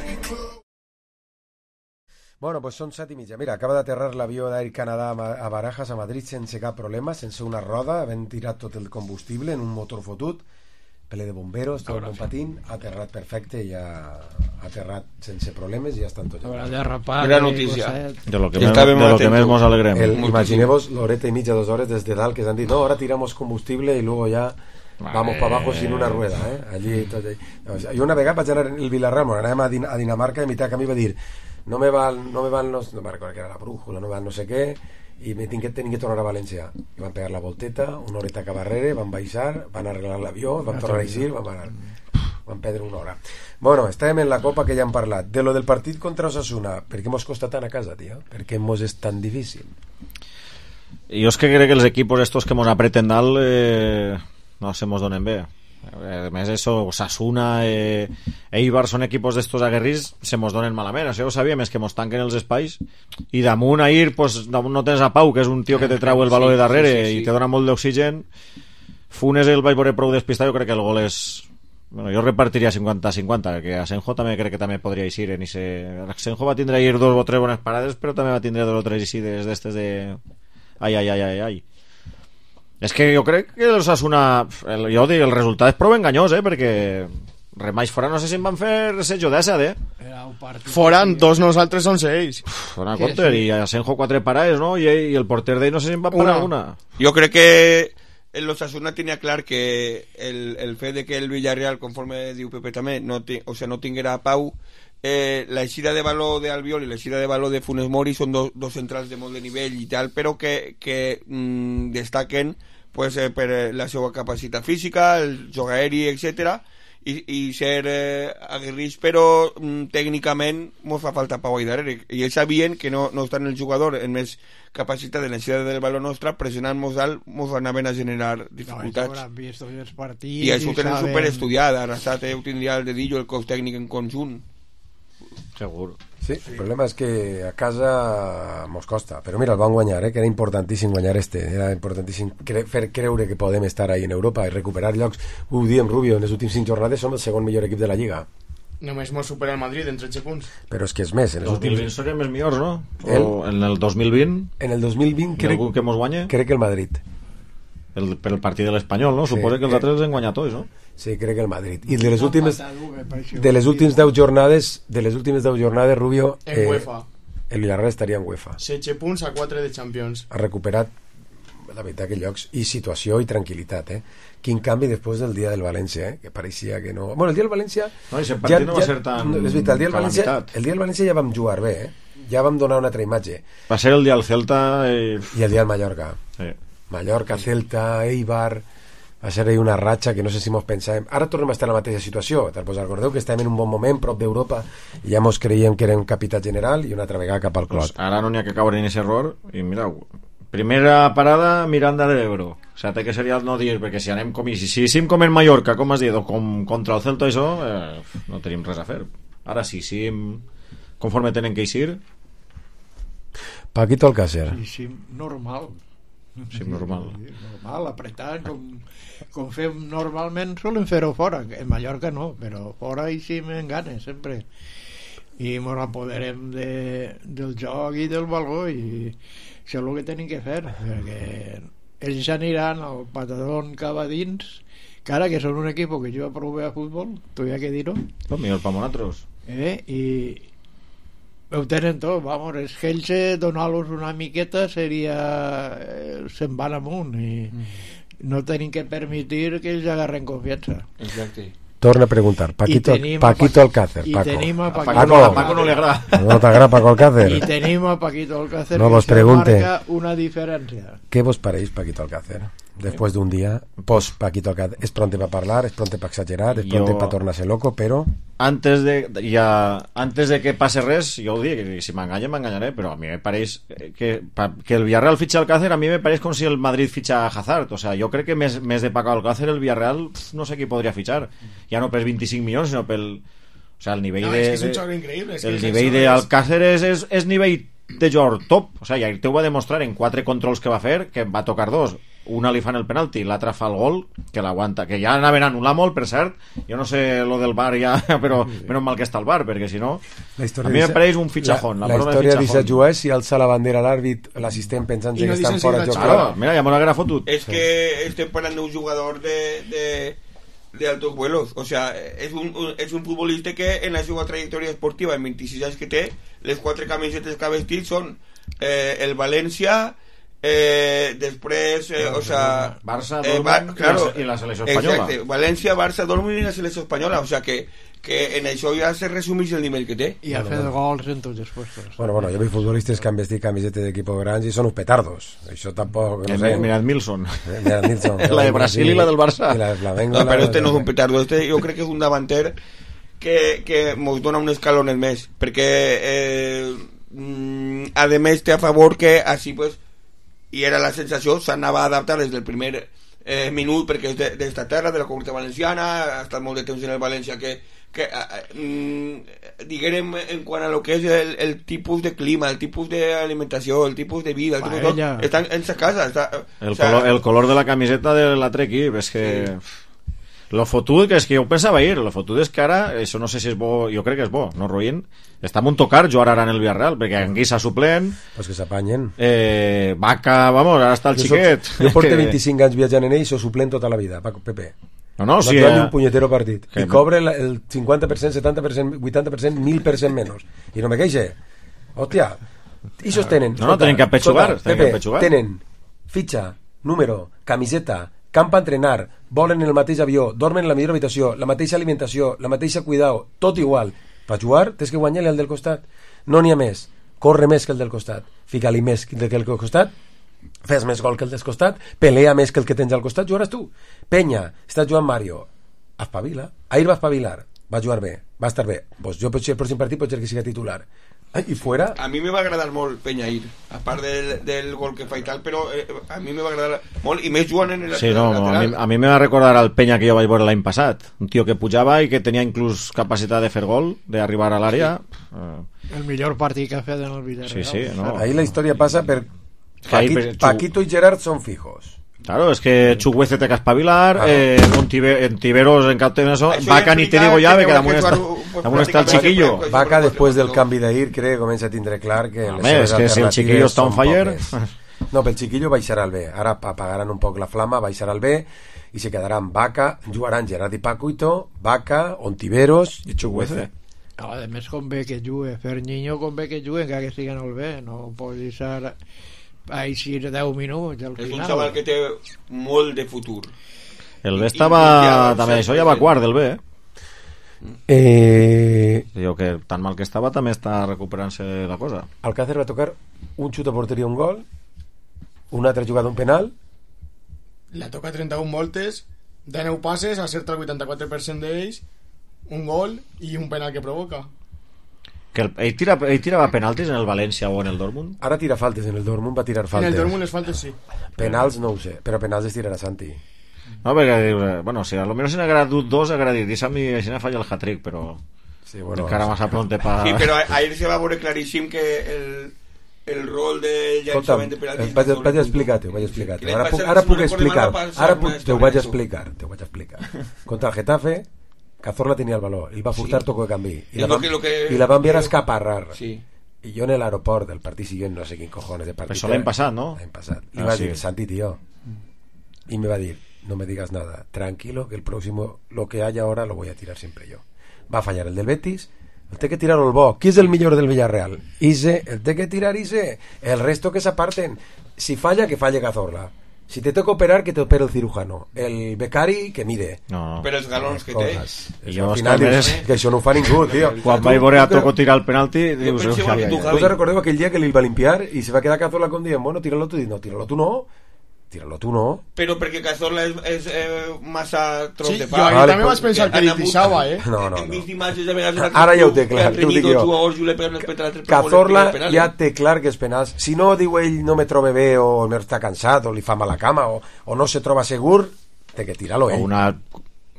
Bueno, pues són set i mitja. Mira, acaba d'aterrar l'avió d'Air Canada a Barajas, a Madrid, sense cap problema, sense una roda, havent tirat tot el combustible en un motor fotut, pele de bomberos, tot el bon patint, ha aterrat perfecte i ha aterrat sense problemes i ja estan tots. Gran notícia. De lo que, me, de lo que més mos alegrem. El, imagineu-vos l'horeta i mitja, dos hores des de dalt que s'han dit, no, ahora tiramos combustible y luego ya vamos para abajo sin una rueda, eh? Allí, tot allí. Jo una vegada vaig anar en el Villarreal, bueno, anàvem a, Din a Dinamarca i a mitad camí va dir no me van, no me van los, no me recuerdo que era la brújula, no me van no sé què, i me tinc que, tinc que tornar a València. I van pegar la volteta, una horeta cap arrere, van baixar, van arreglar l'avió, van tornar a eixir, van parar. Van perdre una hora. Bueno, estàvem en la Copa, que ja hem parlat. De lo del partit contra Osasuna, per què mos costa tant a casa, tio? Per què mos és tan difícil? Jo és que crec que els equipos estos que mos apreten dalt eh, no se mos donen bé. Además eso, Osasuna, eh, Eibar son equipos d'estos aguerrits, se mos donen malament, això ho sabíem, és que mos tanquen els espais i damunt ahir, pues, damunt no tens a Pau, que és un tio que te trau el valor de darrere sí, sí, sí. i te dona molt d'oxigen. Funes el vaig veure prou despistat, jo crec que el gol és... Bueno, jo repartiria cinquanta cinquanta, que Asenjo també crec que també podria eixir en ese... Asenjo va tindre ahir dos o tres bones parades, però també va tindre dos o tres eixides d'estes de... Ai, ai, ai, ai, ai. És que jo crec que el Osasuna, el, jo dic, el resultat és prou enganyós, eh, perquè Remais fora no sé si em van fer resejo d'essa, eh? Foran dos nosaltres són seis. Fora compte, sí. I Asenjo quatre parades, no? I, i el porter d'ell no sé si em va parar una. Jo crec que el Osasuna tenia clar que el, el fet de que el Villarreal, conforme diu Pepe també, no, ti, o sea, no tinguera a Pau, eh, la eixida de valor de Albiol i la eixida de valor de Funes Mori són do, dos centrals de molt de nivell i tal, però que, que mm, destaquen pues, eh, per la seva capacitat física, el joc aeri, etcètera, i, i ser eh, aguerrits, però mm, tècnicament mos fa falta Pau ahí darrere, i ells sabien que no, no estan el jugador en més capacitat de l'eixida del valor nostra, pressionant-nos alt, mos anaven a generar dificultats. No, i això ho tenen saben... superestudiat, Arrasat eh, ho tindria el dedillo, el cos tècnic en conjunt. Segur. Sí, el problema és que a casa mos costa, però mira, el van guanyar, eh, que era importantíssim guanyar este, era importantíssim cre fer creure que podem estar ahí en Europa i recuperar llocs. Ho diem, Rubio, en les últimes cinc jornades som el segon millor equip de la Lliga. Només mos supera el Madrid en tretze punts. Però és que és més, en els últims... dos mil vint serem els millors, no? El... O en el dos mil vint? En el dos mil vint crec... Algú que mos guanya? Crec que el Madrid. El, per el partit de l'Espanyol, no? Sí, Suposo que els altres els han guanyat tots, no? Sí, crec que el Madrid. I de les últimes de les últimes deu jornades, de les últimes deu jornades, Rubio, en eh, UEFA. El Villarreal estaria en UEFA. setze punts a quatre de Champions. Ha recuperat la veritat que llocs i situació i tranquil·litat, eh? Quin canvi després del dia del València, eh? Que pareixia que no... Bueno, el dia del València... No, i partit ja, no va ja, ser tan... És veritat, el dia del València, el dia del València ja vam jugar bé, eh? Ja vam donar una altra imatge. Va ser el dia del Celta i... I el dia del Mallorca. Sí. Mallorca, Celta, Eibar... Va ser ahí una ratxa que no sé si mos pensàvem... Ara tornem a estar en la mateixa situació. Pues recordeu que estem en un bon moment, prop d'Europa, i ja mos creiem que érem capital general i una altra vegada cap al clot. Pues ara no n'hi ha que caure en aquest error. I mireu, primera parada, Miranda de l'Ebro. O sea, té que seria el no dir, perquè si anem com... Si, si sim com en Mallorca, com has dit, o com contra el Celta, això, eh, no tenim res a fer. Ara sí, sí, conforme tenen que eixir... Paquito Alcácer. Sí, sí, normal. Sí, normal. Normal, apretant, com, com fem normalment, solen fer-ho fora. En Mallorca no, però fora hi sí me ganes, sempre. I ens apoderem de, del joc i del valor, i això és el que tenim que fer, perquè ells aniran al patadón cap a dins, que ara que són un equip que juga prou bé a futbol, tu hi ha que dir-ho. No, millor per nosaltres. Eh, i ho tenen tot, vamos, és que ells eh, donar-los una miqueta seria eh, se'n van amunt i mm. no tenim que permetir que ells agarren confiança. Exacte. Torna a preguntar, Paquito, Paquito Alcácer, i Paco. Tenim a Paquito, Paco. A Paco no li agrada. No t'agrada Paco Alcácer? I tenim a Paquito Alcácer, no que vos pregunte, marca una diferència. Què vos pareix Paquito Alcácer? Después de un día, post Paquito Alcácer, es pronto para hablar, es pronto para exagerar, es pronto para tornarse loco, pero antes de ya antes de que pase res, yo ho dic, si m'enganya m'enganyaré, però a mi me pareix que, que el Villarreal fitxa Alcácer, a mi me pareix com si el Madrid fitxa Hazard, o sea, jo crec que més, més de Paco Alcácer el Villarreal pf, no sé qui podria fitxar, ja no per vint-i-cinc milions, sinó pel, o sea, el nivell no, de, és que és un joc increïble, és el que nivell d'Alcácer és, és, és nivell de jugador top, o sea, ja te ho va demostrar en quatre controls que va fer, que va tocar dos, una li fan el penalti, l'altra fa el gol, que l'aguanta, que ja anaven a anul·lar molt, per cert, jo no sé lo del bar ja, però menys mal que està el bar, perquè si no a mi em pareix un fitxajón. La, la, la història d'Issa jugar si alça la bandera l'àrbit, l'assistent pensant que no estan si fora de joc. Claro, mira, ja m'ho haguera fotut. És que estem parlant d'un jugador de, de, de altos vuelos, o sea, és un, un, és un futbolista que en la seva trajectòria esportiva, en vint-i-sis anys que té, les quatre camisetes que ha vestit són eh, el València, Eh, després eh, o sea, Barça, eh, Dortmund Bar claro, i la selecció espanyola. Exacte, València, Barça, Dortmund i la selecció espanyola, o sea que, que en això ja se resumeix el nivell que té. I ha fet gols en tots els puestos. Bueno, bueno, jo veig futbolistes que han vestit camisetes d'equipos grans i són uns petardos. Això tampoc... No sé. Mirad Milson. Eh, mirad Milson. La de Brasil i la del Barça. I la de Flamengo. No, però este no és un petardo, este jo crec que és un davanter que, que mos dona un escalón més, perquè eh, mm, a més té a favor que així pues, i era la sensació, s'anava a adaptar des del primer eh, minut perquè és d'esta terra, de la Comunitat Valenciana, ha estat molt de temps en el València, que, que mm, diguem en quant a lo que és el, el tipus de clima, el tipus d'alimentació, el tipus de vida, el tipus de tot, estan en sa casa. Està, el, o sea, color, el color de la camiseta de l'altre equip, és que... Sí. Lo fotut, que és que jo ho pensava ahir, lo fotut és que ara, això no sé si és bo, jo crec que és bo, no, Ruïn? Està molt tocar jugar ara en el Villarreal, perquè Anguissa suplent... Pues que s'apanyen. Eh, Vaca, vamos, ara està el jo xiquet. Soc, jo porto vint-i-cinc anys viatjant en ell i soc suplent tota la vida, Paco, Pepe. No, no, no sí. No Eh... un punyetero partit. Que... I cobre el, el cinquanta per cent, setanta per cent, vuitanta per cent, mil per cent menys. I no me queixe. Hòstia, ixos tenen... No, no, tenen que apetxugar. Pepe, tenen fitxa, número, camiseta, camp a entrenar, volen en el mateix avió, dormen en la millor habitació, la mateixa alimentació, la mateixa cuidao, tot igual. Per jugar tens que guanyar-li al del costat. No n'hi ha més. Corre més que el del costat. Fica-li més que el del costat. Fes més gol que el del costat. Pelea més que el que tens al costat. Jugaràs tu. Penya, està jugant Mario. Espavila. Ahir va espavilar. Va jugar bé. Va estar bé. Pues jo potser el pròxim partit pot ser que siga titular. I fuera... A mi me va agradar molt Peñair, a part del, del gol que fa i tal, però eh, a mi me va agradar molt, i més jugant en el sí, no, lateral. A mi, a mi me va recordar al Peña que jo vaig veure l'any passat, un tio que pujava i que tenia inclús capacitat de fer gol, d'arribar a l'àrea. Sí. El millor partit que ha fet en el Villarreal. Sí, sí, no. Ahí la història passa per Paquito, per... Paquito i Gerard són fijos. Claro, es que Chuguece té que espavilar, ah, eh, en Tiberos en cap temps eso, Vaca ni te digo ya, que damunt està, damunt està el chiquillo. Vaca després del canvi d'ahir crec que comença a tindre clar que les seves alternatives si el chiquillo està on fire. No, pel chiquillo baixarà el B. Ara apagaran un poc la flama, baixarà el B i se quedaran Vaca, jugaran Gerard i Paquito, Vaca, Ontiveros i Chuguece. A més convé que jugue, fer Niño convé que jugue encara que estiguen al B, no pot deixar així deu minuts al és final. Un xaval que té molt de futur. El B estava també, això ja va quart del B, eh? Eh... Diu que tan mal que estava també està recuperant-se la cosa. Alcácer va tocar un xut a porteria, un gol, una altra jugada, un penal, la toca trenta-un voltes, deu passes, acerta el vuitanta-quatre per cent d'ells, un gol i un penal que provoca. Que el, ell, tira, ell tirava penaltis en el València o en el Dortmund? Ara tira faltes, en el Dortmund va tirar faltes. En el Dortmund les faltes sí. Penals no ho sé, però penals es tirarà Santi. No, perquè, bueno, si a lo menos en haurà dut dos, haurà dit, deixa'm i així falla el hat-trick, però sí, bueno, encara massa pronte pa... Sí, però ahir se va veure claríssim que el, el rol de llançament de penaltis... Vaig, vaig explicar-te, ho vaig explicar-te. Ara, puc, ara puc explicar, ara puc, te ho vaig explicar, te ho vaig explicar. Contra el Getafe, Cazorla tenía el balón, él va a furtar sí. Toco de cambi y, la van, que... y la va a enviar a escaparrar sí. Y yo en el aeropuerto del partido siguiente no sé quién cojones de partido eso l'any passat, ¿no? l'any passat y ah, va a sí. decir, Santi tío y me va a decir, no me digas nada, tranquilo que el próximo, lo que haya ahora lo voy a tirar siempre yo. Va a fallar el del Betis, el té que tirar el bo. Qui és el millor del Villarreal? Ise, el té que tirar Ise, el resto que s'aparten. Si falla, que falle Cazorla. Si te toca operar, que te opere el cirujano. El becari, que mire. No. Però els galons que té. I jo, al final, és, que això no ho fa ningú, tio. Quan vaig veure a Toco tirar el penalti, dius... Tu te recordeu aquell dia que li va limpiar i se va quedar Cazorla con dient, bueno, tíralo tu. No, tíralo tu no. Tíralo tu no. Però perquè Cazorla és, és eh, massa tros sí, de pa. Jo ahir vale, també vaig pensar que li deixava, eh? No, no, Hem no. vist imatges de vegades... Ara ja ho té clar, t'ho dic jo. Cazorla ja té clar que és penals. Si no, diu ell, no me trobe bé o no està cansat o li fa mala cama o, o no se troba segur, té que tirar-lo ell. O una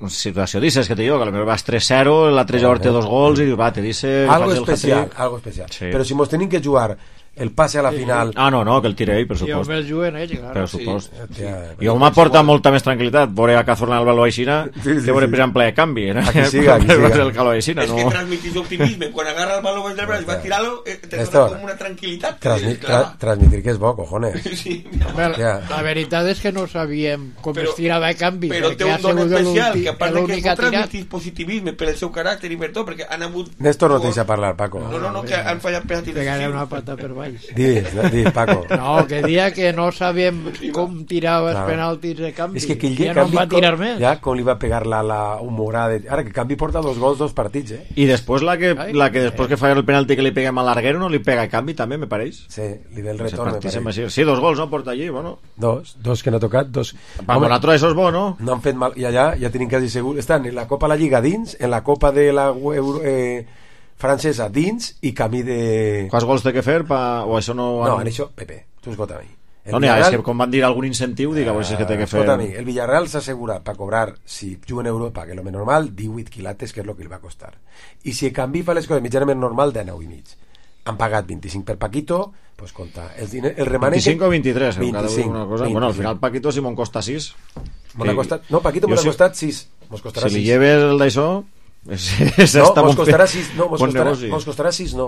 situació dices que te digo que a lo mejor vas tres cero, l'altre jugador té dos gols i diu, va, te dice... Algo especial, algo especial. Sí. Però si mos tenim que jugar el passe a la final... Ah, no, no, que el tire ell, per supost. I el juguen ell, claro. Per supost. Sí. I jo m'aporta molta més tranquil·litat veure a Cazorla en el baló aixina sí, sí, que veure per exemple de canvi. Eh? Aquí siga, aquí siga. El calor aixina, no? És que transmitís optimisme. Quan agarra el baló del braç i va tirar-lo, te dona com una tranquil·litat. Transmi tra transmitir que és bo, cojones. Sí, Bé, la, la veritat és que no sabíem com però, es tirava de canvi. Però té un don especial, que a part de que transmitís positivisme per el seu caràcter i per tot, perquè han hagut... Néstor no te deixa parlar, Paco. No, no, no, que han fallat penaltis. Pegaré una pata per baix. Digues, Dí, Paco. No, que dia que no sabíem com tirava els no. penaltis de canvi. És que aquell dia ja no va tirar com, més. Ja, com li va pegar la, la humorada. Ara que Canvi porta dos gols, dos partits, eh? I després la que, Ai, la que després eh. que falla el penalti que li peguem a l'Arguero no li pega a Canvi també, me pareix? Sí, li ve el retorn, me pareix. Sí, dos gols, no? Porta allí, bueno. Dos, dos que no ha tocat, dos... Pa Monato això és bo, no? No han fet mal, i allà ja tenim quasi segur. Estan en la Copa la Lliga dins, en la Copa de la Euro... Eh, francesa dins i camí de... Quants gols té que fer pa... o això no... No, en això, Pepe, tu escolta-me. No n'hi ha, és que com van dir algun incentiu, dic, a veure si és que té que fer... Escolta, el Villarreal s'assegura per cobrar, si juga en Europa, que és el més normal, divuit quilates, que és el que li va costar. I si el canvi fa les coses mitjanament normal, dinou i mig. Han pagat vint-i-cinc per Paquito, pues compta, el, diner, el remanent... vint-i-cinc o vint-i-tres, vint-i-cinc, una cosa. Bueno, al final Paquito si me'n costa sis. M'ha costat... No, Paquito m'ha costat sis. Mos costarà si sis. li lleves el d'això... És, és no, mos costarà sis, no, mos bon costarà, negoci. mos costarà sis, no.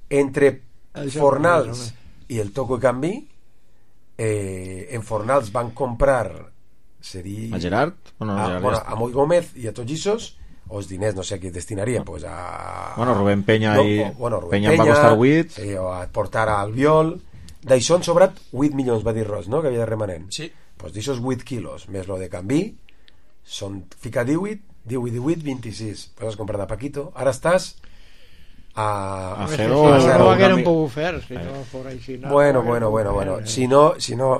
Entre Això Fornals i el Toco i Canvi, eh, en Fornals van comprar seria... A Gerard? O no, a, Gerard bueno, ja està. a Moi Gómez i a tots Ixos, o els diners no sé a qui destinarien, pues a... Bueno, Rubén Peña no, i... o, bueno, Rubén Peña, Peña va costar vuit. Sí, o a portar a Albiol. D'això han sobrat vuit milions, va dir Ros, no?, que havia de remanent. Sí. Pues d'aixòs vuit quilos, més lo de Canvi, són, fica divuit, divuit, divuit, vint-i-sis. Pues has comprat a Paquito. Ara estàs a... A Si Gero... no, a no ho Gero hagueren canvi- pogut fer, si no fos així. No, Bueno, no bueno, hagueren bueno, pogut bueno. fer, Si no, si no,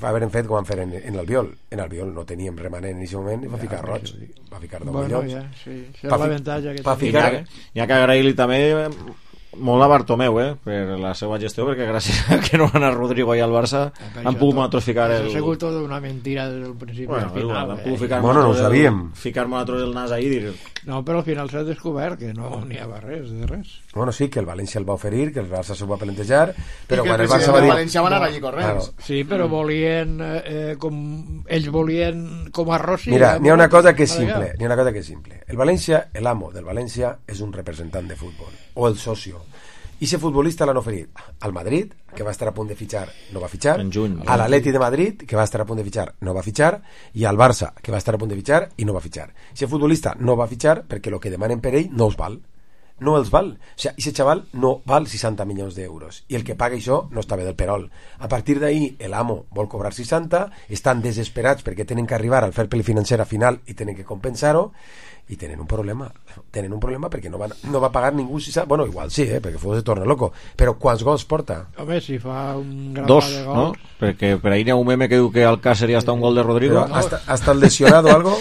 va haver fet com van fer en, en l'Albiol. En l'Albiol no teníem remanent en aquest moment i va ficar roig. Va ficar deu Bueno, milions. ja, sí, això Pa és fi- l'avantatge que pa tenim. ficar- Hi ha, hi ha que agrair-li també molt a Bartomeu, eh, per la seva gestió, perquè gràcies a que no van a Rodrigo i al Barça han pogut nosaltres ficar el... Ha sigut tota una mentira des del principi Bueno, al final. han eh? pogut ficar Bueno, no ho nosaltres sabíem. el, ficar nosaltres el nas ahí i dir... No, però al final s'ha descobert que no n'hi havia res, de res. Bueno, sí, que el València el va oferir, que el Barça s'ho va plantejar, però que quan el el Barça president va dir... del València va anar allí corrents. Sí, però volien eh, eh, com ells volien com a Rossi. Mira, eh, n'hi ha una cosa que és Madrigal. simple, n'hi ha una cosa que és simple. El València, l'amo del València és un representant de futbol, o el socio. I ese futbolista l'han oferit al Madrid, que va estar a punt de fitxar, no va fitxar, En juny. a l'Atleti de Madrid, que va estar a punt de fitxar, no va fitxar, i al Barça, que va estar a punt de fitxar i no va fitxar. Ese futbolista no va fitxar perquè el que demanen per ell no els val. No els val. O sigui, ese xaval no val seixanta milions d'euros. I el que paga això no està bé del perol. A partir d'ahí, l'amo vol cobrar seixanta, estan desesperats perquè tenen que arribar al fair play financer a final i tenen que compensar-ho, i tenen un problema. Tenen un problema perquè no, van, no va pagar ningú seixanta... Bueno, igual sí, eh, perquè fos se torna loco. Però quants gols porta? Home, si fa un gran Dos, de no? gols... Perquè per ahí n'hi ha un meme que diu que Alcácer ja està un gol de Rodrigo. Però hasta, hasta el lesionado o algo?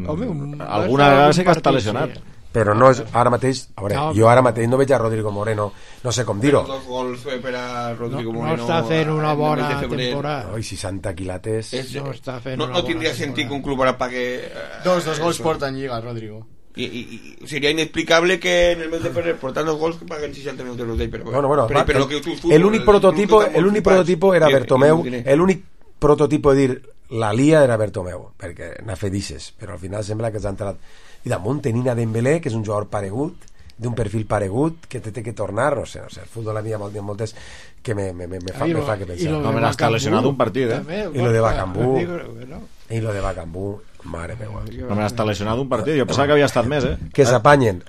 Home, un- Alguna vegada sí que està lesionat. Però no és ara mateix... A veure, No, jo ara mateix no veig a Rodrigo Moreno, no sé com dir-ho. Dos gols per a Rodrigo No, no Moreno. està fent una en el bona mes de febrer. temporada. No, i seixanta quilates... És, No està fent no, una no bona tindria temporada. sentit que un club ara pague... eh, Dos, dos gols eso. porta en Lliga, Rodrigo. Y, y, y sería inexplicable que en el mes de febrero portando dos gols que paguen seixanta milions d'euros d'ell, però Bueno, bueno, però, va, però el, lo que tu, tu, el únic prototipo, el club que el únic flipats, prototipo era i- Bertomeu, i un diner. el únic prototipo de dir la lia era Bertomeu, perquè n'ha fet ixes, però al final sembla que s'ha entrat. I damunt tenint a Dembélé, que és un jugador paregut, d'un perfil paregut, que té, té que tornar, no sé, no sé, el futbol a mi hi ha molt- hi ha moltes que me, me, me, me, fa, I me lo- fa que i pensar. lo de No, me l'està Bacambú, lesionat un partit, eh? també, I lo de Bacambú. digo, no? I lo de Bacambú, mare meva. No me l'està lesionat un partit. Jo pensava que havia estat més, eh? Que s'apanyen.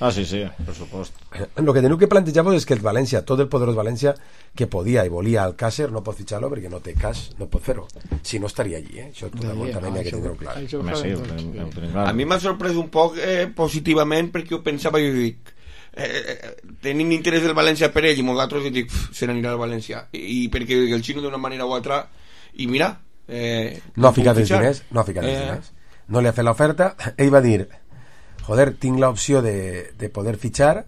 Ah, sí, sí, per supost. Lo que teniu que plantejar-vos és que el València, tot el poderós València, que podia i volia Alcácer, no pot fitxar-lo perquè no té cash, no pot fer-ho. Si no estaria allí, eh? Això tot el món també n'hi ha que tindre-ho clar. Home, sí, ho tenim, ho tenim clar. A mi m'ha sorprès un poc eh, positivament perquè jo pensava, jo dic, eh, eh, tenim interès del València per ell i nosaltres dic, "Pff, se n'anirà al València. I, i perquè el xino d'una manera o altra, i mira... Eh, No ha ficat els fitxar. diners, no ha ficat els Eh, diners. No li ha fet l'oferta. Ell va dir, joder, tinc l'opció de, de poder fitxar,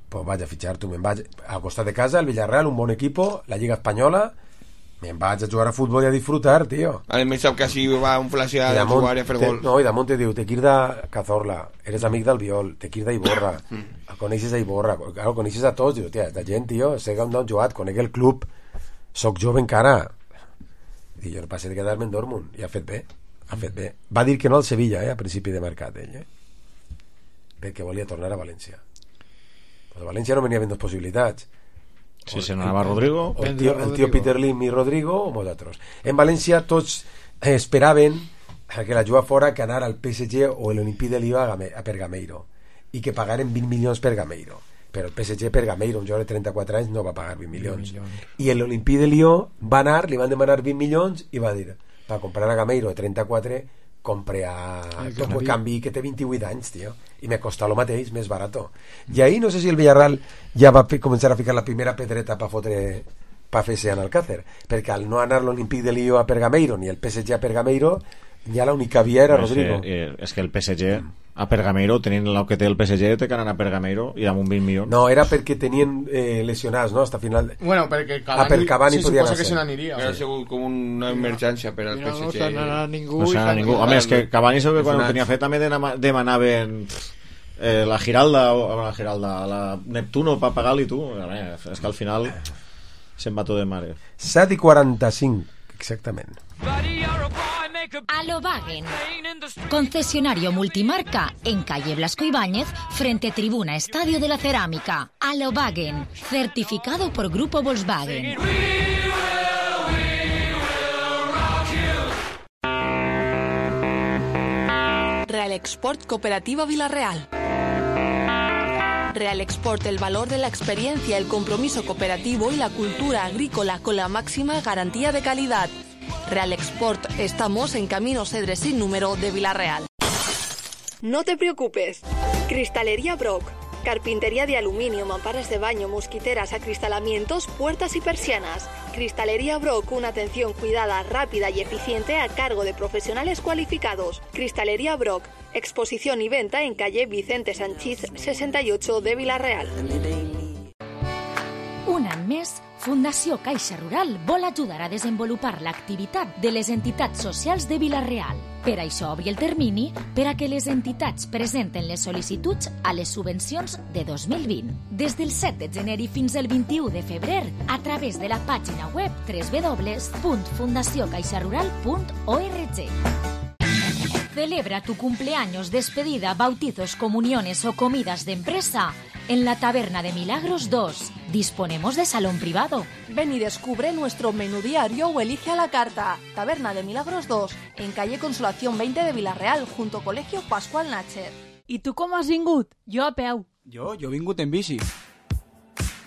pues vaig a fitxar, tu me'n vaig al costat de casa, el Villarreal, un bon equipo, la Lliga Espanyola, me'n vaig a jugar a futbol i a disfrutar, tio. A més sap que així va un flashear I de damunt jugar i a fer te- gol. No, i damunt te diu, te quir de Cazorla, eres amic del Viol, te quir d'Iborra, el coneixes a Iborra, claro, coneixes a tots, diu, tia, la gent, tio, sé que no han jugat, conec el club, soc jove encara. I jo no passé de quedar-me en Dortmund, i ha fet bé, ha fet bé. Va dir que no al Sevilla, eh, a principi de mercat, ell, eh? Perquè volia tornar a València. Pues a València no venia ben dos possibilitats. Si se n'anava Rodrigo... O el tio, el tio Peter Lim i Rodrigo o nosaltres. En València tots eh, esperaven que la juga fora que anar al P S G o l'Olimpí de Lió a, Game, a per Gameiro i que pagaren vint milions per Gameiro, però el P S G per Gameiro, un jugador de trenta-quatre anys, no va pagar vint milions, i l'Olimpí de Lió va anar, li van demanar vint milions i va dir, per comprar a Gameiro de trenta-quatre compre a Toco Canvi que té vint-i-vuit anys, tio, i me costa lo mateix, més barato. I ahí no sé si el Villarreal ja va fi- començar a ficar la primera pedreta per fotre pa fer-se en Alcácer, perquè al no anar l'Olimpíc de Lió a Pergameiro ni el P S G a Pergameiro, Ja l'única via era és Rodrigo. que, eh, és que el P S G a Pergameiro, tenint el que té el P S G, té que anar a Pergameiro i amb un vint milions. No, era perquè tenien eh, lesionats, no?, hasta final. Bueno, perquè Cavani, ah, per Cavani sí, podia suposa anar que se n'aniria. Era segur com una emergència per al Mira, P S G. no se n'anà ningú. No se n'anà ningú. Home, és que Cavani segur que quan ho tenia fet també dema- demanaven eh, la Giralda, o la Giralda, la Neptuno per pagar-li tu. Veure, és que al final se'n va tot de mare. set i quaranta-cinc, exactament. Alobagen, concesionario multimarca en calle Blasco Ibáñez, frente Tribuna Estadio de la Cerámica. Alobagen, certificado por Grupo Volkswagen. Real Export Cooperativa Villarreal. Real Export, el valor de la experiencia, el compromiso cooperativo y la cultura agrícola con la máxima garantía de calidad. Real Export, estamos en Camino Cedres sin número de Villarreal. No te preocupes. Cristalería Brock. Carpintería de aluminio, mamparas de baño, mosquiteras, acristalamientos, puertas y persianas. Cristalería Brock, una atención cuidada, rápida y eficiente a cargo de profesionales cualificados. Cristalería Brock, exposición y venta en calle Vicente Sanchís sesenta y ocho de Villarreal. Un any més, Fundació Caixa Rural vol ajudar a desenvolupar l'activitat de les entitats socials de Vila-real. Per això obri el termini per a que les entitats presenten les sol·licituds a les subvencions de dos mil vint. Des del set de gener i fins al vint-i-u de febrer, a través de la pàgina web doble u doble u doble u punt fundació caixa rural punt org. Celebra tu cumpleaños, despedida, bautizos, comuniones o comidas de empresa en la Taberna de Milagros dos. Disponemos de salón privado. Ven y descubre nuestro menú diario o elige a la carta. Taberna de Milagros dos, en calle Consolación veinte de Villarreal, junto a Colegio Pascual Natcher. I tu com has vingut? Jo a peu. Jo, jo he vingut en bici.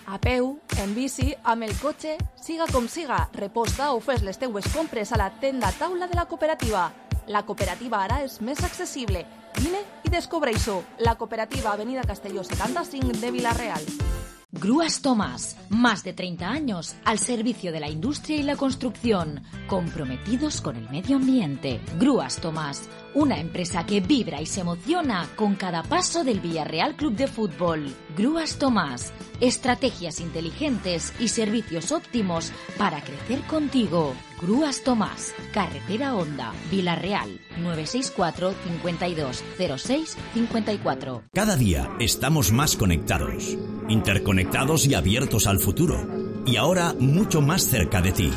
A peu, en bici, amb el cotxe, siga com siga, reposta o fes les teues compres a la tenda taula de la cooperativa. La cooperativa ara és més accessible. Vine i descobreix-ho. La cooperativa Avenida Castelló setanta-cinc de Villarreal. Grúas Tomás, más de treinta años al servicio de la industria y la construcción, comprometidos con el medio ambiente. Grúas Tomás, una empresa que vibra y se emociona con cada paso del Villarreal Club de Fútbol. Grúas Tomás, estrategias inteligentes y servicios óptimos para crecer contigo. Grúas Tomás, Carretera Honda, Villarreal, nueve seis cuatro, cincuenta y dos, cero seis, cincuenta y cuatro. Cada día estamos más conectados, interconectados y abiertos al futuro. Y ahora mucho más cerca de ti.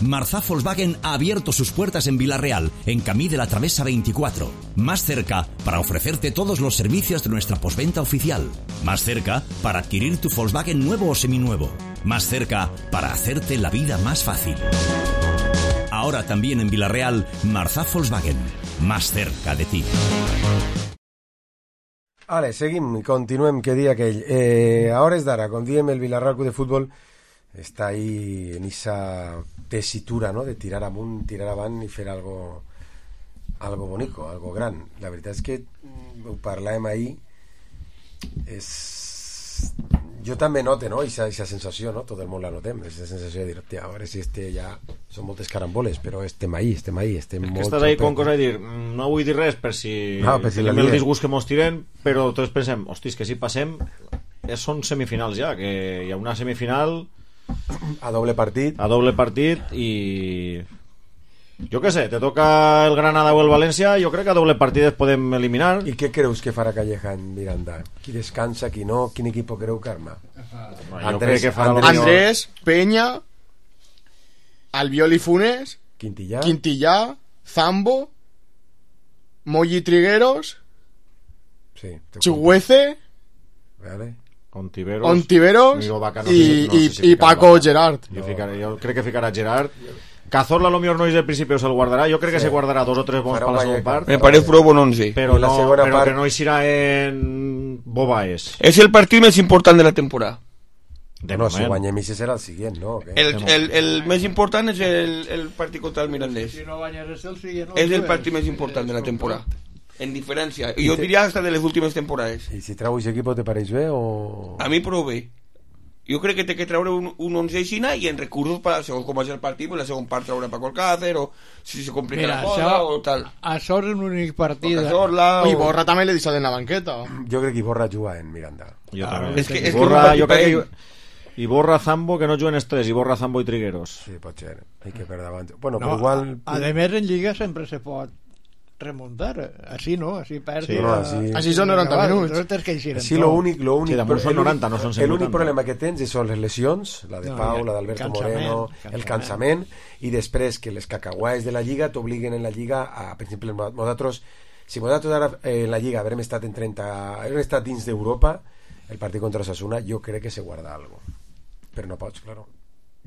Marzá Volkswagen ha abierto sus puertas en Villarreal, en Camí de la Travesa veinticuatro. Más cerca para ofrecerte todos los servicios de nuestra postventa oficial. Más cerca para adquirir tu Volkswagen nuevo o seminuevo. Más cerca para hacerte la vida más fácil. Ahora también en Villarreal, Marzá Volkswagen. Más cerca de ti. Vale, seguim, continuem, que dia aquell. Eh, a hores d'ara, com diem, el Villarreal Club de Futbol està ahí en esa tesitura, ¿no?, de tirar amunt, tirar avant i fer algo, algo bonico, algo gran. La veritat és que ho parlàvem ahir, és... jo també note, no?, esa, esa sensació, no?, tot el món la notem, esa sensació de dir, hòstia, a veure si este ja... són moltes caramboles, però estem ahí, estem ahí, estem és molt... que estàs ahí con cosa de dir, no vull dir res per si, no, per si tenim el disgust que mos tiren, però tots pensem, hostis, que si passem són semifinals ja, que hi ha una semifinal a doble partit a doble partit i jo què sé, te toca el Granada o el València, jo crec que a doble partit es podem eliminar. I què creus que farà Calleja en Miranda? Qui descansa, qui no? Quin equip creu que arma? No, Andrés, que Andrés, Andrés, Peña, Albiol y Funes, Quintillà, Quintillà, Zambo, Moyi Trigueros, sí, Chigüeze, vale. Ontiveros, Ontiveros y, no sé, y, no sé si y Paco Vaca. Gerard. Jo, ficaré, jo crec que ficarà Gerard. Cazorla a lo millor no és del principi o se'l guardarà. Jo crec que sí. se guardarà dos o tres bons per la segona part. Me parece prou bon once. Però, no, però part... que no hi serà en Bobaes. És el partit més important de la temporada. De no, si guanyem i serà el següent, no? Okay. El, el, el més important és el, el partit contra el Mirandés. Si no guanyes el següent... És el partit més important de la temporada. En diferència. Jo diria hasta de les últimes temporades. I si trau aquest equip te pareix bé o...? A mi prou bé. jo crec que té que treure un, un onze aixina i en recursos per, segons com és el partit, pues la segona part treure Paco Alcácer o si se complica Mira, la cosa això, o tal. Això és un únic partit. Cazorla O o... Iborra també l'he deixat en la banqueta. Jo crec que Iborra juga en Miranda. Jo Ah, també. és que- és que Iborra, és un jo crec partit que Iborra, Zambo, que no juguen els tres, Iborra, Zambo i Trigueros. Sí, pot ser. Hay que per davant. Bueno, No, però igual... a, a més, en Lliga sempre se pot remuntar. Així no, així perds. Sí, no, així- Així són noranta minuts. No tens que eixir en Sí, tot. lo únic, lo únic, Sí, damunt són el únic- noranta, no són cent el únic vuitanta. problema que tens són les lesions, la de No, Pau, i la el d'Alberto cansament, Moreno, cansament. el cansament, i després que les cacahuaes de la Lliga t'obliguen en la Lliga a, per exemple, nosaltres, si nosaltres ara eh, en la Lliga haurem estat en trenta, haurem estat dins d'Europa, el partit contra Osasuna, jo crec que se guarda algo. Però no pots, claro.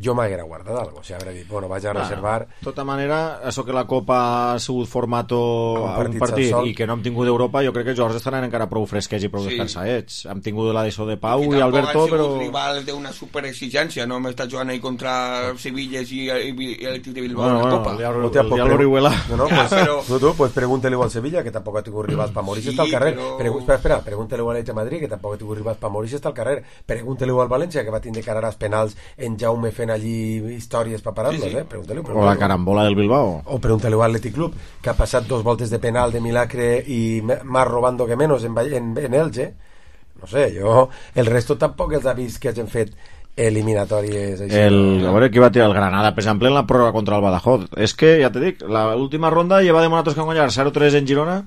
Jo m'haguera guardat algo, o sigui, hauré dit, bueno, vaig a reservar... De tota manera, això que la Copa ha sigut formato Un a un partit partit sense sol. i que no hem tingut d'Europa, jo crec que els jugadors estaran encara prou fresquets i prou Sí. descansadets. Hem tingut la d'això de Pau i, tampoc Alberto, han sigut però... rivals d'una superexigència, no hem estat jugant ahí contra Sevillas i, i, i el de Bilbao Bueno, en la bueno, Copa. ya- Hòstia, pues ya pre- l'Orihuela. No, no, Ja, pues, però- no, tú, pues pregúntale al Sevilla, que tampoc ha tingut rivals para morir, Sí, està al carrer. però- Pregu espera, espera, pregúntale al Atlètic de Madrid, que tampoc ha tingut rivals para morir, està al carrer. Pregúntale al València, que va tindre que anar als penals en Jaume fent allí històries para pararlos, Sí, sí. eh? Pregúntale, O la carambola del Bilbao. O pregúntale al Athletic Club, que ha passat dos voltes de penal de milagre y me- más robando que menos en, Valle- en, en Elche. No sé, jo... El resto tampoc els ha vist que hagin fet eliminatòries així. El, a veure qui va tirar el Granada, per exemple, en la pròrroga contra el Badajoz. És que, ja te dic, l'última ronda lleva de nosaltres que han guanyat zero tres en Girona.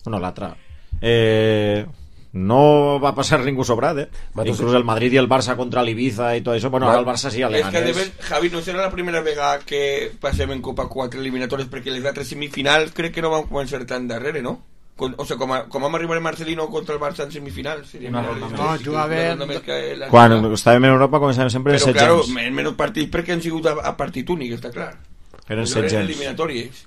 Bueno, l'altra. Eh, no va passar ningú sobrat, eh? Matos- Inclús el Madrid i el Barça contra l'Ibiza i tot això. Bueno, ara el Barça sí, És que de Leganés. ben, Javi, no serà la primera vegada que passem en Copa quatre eliminatòries, perquè les altres semifinals crec que no van començar tan darrere, no? Con, o sigui, com, a, com vam arribar a Marcelino contra el Barça en semifinals, seria Una una ronda més. més. No, jugaven- Una ronda més que la- Quan estàvem en Europa començàvem sempre en Però, set claro, gens. en menys partits perquè han sigut a, a partit únic, està clar. Eren Pues set eren gens. eliminatòries.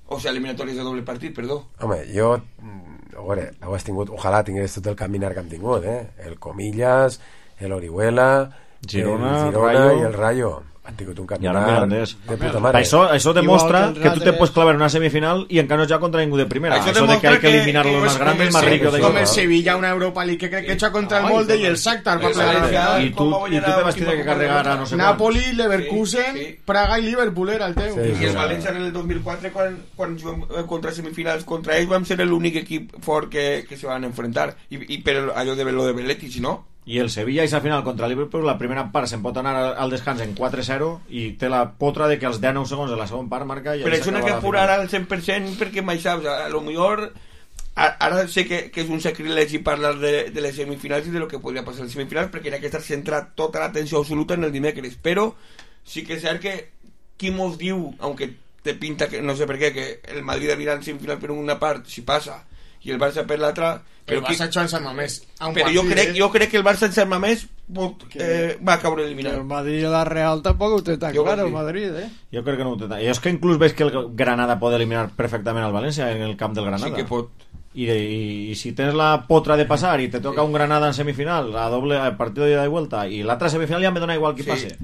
O sigui, eliminatòries de doble partit, perdó. Home, jo... mm, A veure, heu tingut... Ojalà tingués tot el caminar que hem tingut, eh? El Comillas, el Orihuela, Girona, el Girona Rayo. i el Rayo. Han tingut un I ara caminar Mirandés. de puta mare. Això, això demostra Igual que els que tu te altres. pots clavar en una semifinal i encara no ja contra ningú de primera. Això Això, de que demostra hay que que- eliminar que los és más com grandes, el más Sevilla, ricos de és Com Europa. el Sevilla, una Europa League que crec que echa contra el Ay, molde com y el el- Shakhtar para el plegar. Valencia. I tu, i tu te vas tindre que carregar a no sé quan. Napoli, Leverkusen, Sí, sí. Praga i Liverpool era el teu. Sí, I sí. el València en el dos mil quatre, quan, quan juguem eh, contra semifinals contra ells, vam ser l'únic equip fort que, que se van enfrentar. I, i per allò de lo de Belletti, si no? I el Sevilla i sa final contra el Liverpool, la primera part se'n pot anar al- al descans en quatre zero i té la potra de que als deu segons de la segona part marca i Però ahí això no s'acaba hay que la apurar final. al cent per cent perquè mai saps, a lo millor a- ara sé que, que és un sacrilegi parlar de, de les semifinals i de lo que podria passar a les semifinals perquè hi ha que estar centrat tota l'atenció absoluta en el dimecres, però sí que és cert que qui mos diu, aunque te pinta que no sé per què, que el Madrid anirà en semifinal per una part, si passa, i el Barça per l'altra, El però, qui, Barça Joan Sant Mamés. a un però jo, partit, crec, eh? jo crec que el Barça en ser més pot, eh, va caure Que eliminat. el Madrid i la Real tampoc ho té tan Jo clar, crec el que- Madrid, eh? Jo crec que no ho té tant. I és que inclús veig que el Granada pot eliminar perfectament al València en el camp del Granada. Sí que pot. I, i, i si tens la potra de passar i te toca un Granada en semifinal, a doble a partido de ida y vuelta, i l'altra semifinal ja me dona igual qui Sí. passe.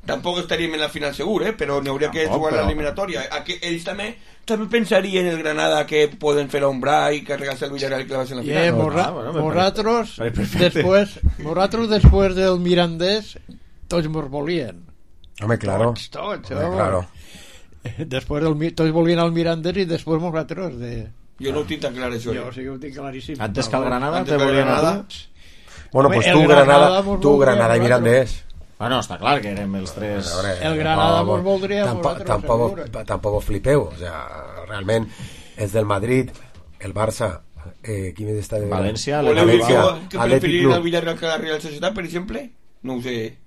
Tampoc estaríem en la final segur, eh? Però n'hi hauria que Tampoc, jugar però- l'eliminatòria. Aquí ells també també pensarien en el Granada que poden fer l'ombra i carregar-se el Villarreal i clavar-se en la Y final. eh, No, morra- no, bueno, me morratros, parece- perfecte. después, morratros después del Mirandés, tots mos volien. Home, claro. Tots, tots, Home, home. claro. Después del, Mi- tots volien al Mirandés i després morratros de... Jo no ho tinc tan clar, això. Jo eh? sí que ho tinc claríssim. Antes que el Granada Antes te que el volien a Granada. tu. Bueno, Home, pues el tu, Granada Granada, mos tu, voldria Granada i nosaltres. Mirandés. Bueno, està clar que érem els tres. A veure, El Granada tampoc- mos voldria tampoc, vosaltres, tampoc, seguro. tampoc flipeu, o sea, realment és del Madrid, el Barça, eh, qui més està de València, Voleu dir que, València, que Atlètic preferirien el Club. Villarreal que la Real Societat, per exemple? No ho sé.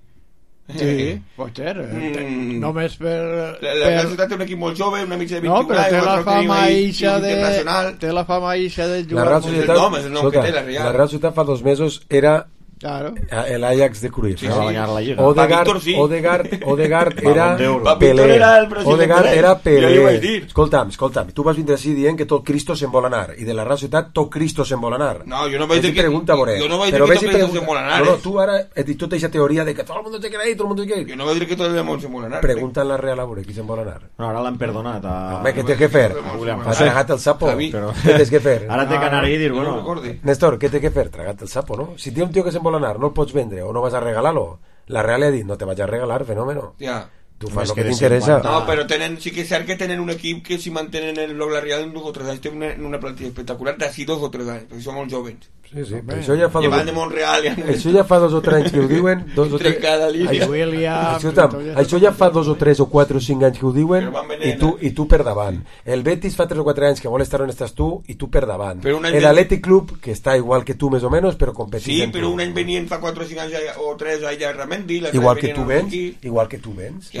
Sí, pot ser. eh, Mm. Només per... La, la Real Societat té un equip molt jove, una mitja de No, vint-i-un però té anys, la l'altre tenim fama ahí, eixa club de... internacional. Té la fama eixa de La jugar... Real molt Societat, el nom, és el nom que escolta, té, la Real. la Real Societat fa dos mesos era Claro. el Ajax de Cruyff. Sí, ¿no? sí. Va guanyar la Lliga. Odegaard, Pa Víctor, sí. Odegaard, Odegaard Balón era d'Euro. Pa Víctor Pelé. era el president Odegaard Pelé. era Jo li vaig Pelé. dir. Escolta'm, escolta'm, tu vas vindre així dient que tot Cristo se'n vol anar i de la Real Societat tot Cristo se'n vol anar. No, jo no vaig Vés i dir que- pregunta, veure. jo no vaig dir Però que vés tot i Cristo pregunta. se'n vol anar, No, no, eh. tu ara has dit tota aquesta teoria de que tot el mundo te quiere ir, tot el mundo te quiere ir. Jo no vaig dir que tot el món se vol anar. Pregunta en la Real a veure qui se'n vol anar. No, ara l'han perdonat. A... Home, què té que fer? William Ha José. tragat el sapo. Javi. Però- Què tens que fer? Ara té que anar i dir, Jo no bueno... recorde. Néstor, què té que fer? Tragat el sapo, no? Si té un tio que se'n vol vol anar, no el pots vendre o no vas a regalar-lo, la Real ha dit, no te vaig a regalar, fenómeno. Ja. Tu fas el que t'interessa. No, però tenen, sí que és cert que tenen un equip que si mantenen el bloc la Real en dos o tres anys té una, una plantilla espectacular d'ací dos o tres anys, perquè són molt jovens. Sí, sí, però això ja fa dos... de Montreal, ja... Això ja fa dos o tres anys que ho diuen. Dos o tres... Línia. Això, això ja fa dos o tres o quatre o cinc anys que ho diuen i tu, i tu per davant. El Betis fa tres o quatre anys que vol estar on estàs tu i tu per davant. El Athletic Club, que està igual que tu més o menys, però competís. Sí, però un any venien fa quatre o cinc anys o tres allà a Ramendi. Igual que tu vens, igual que tu vens.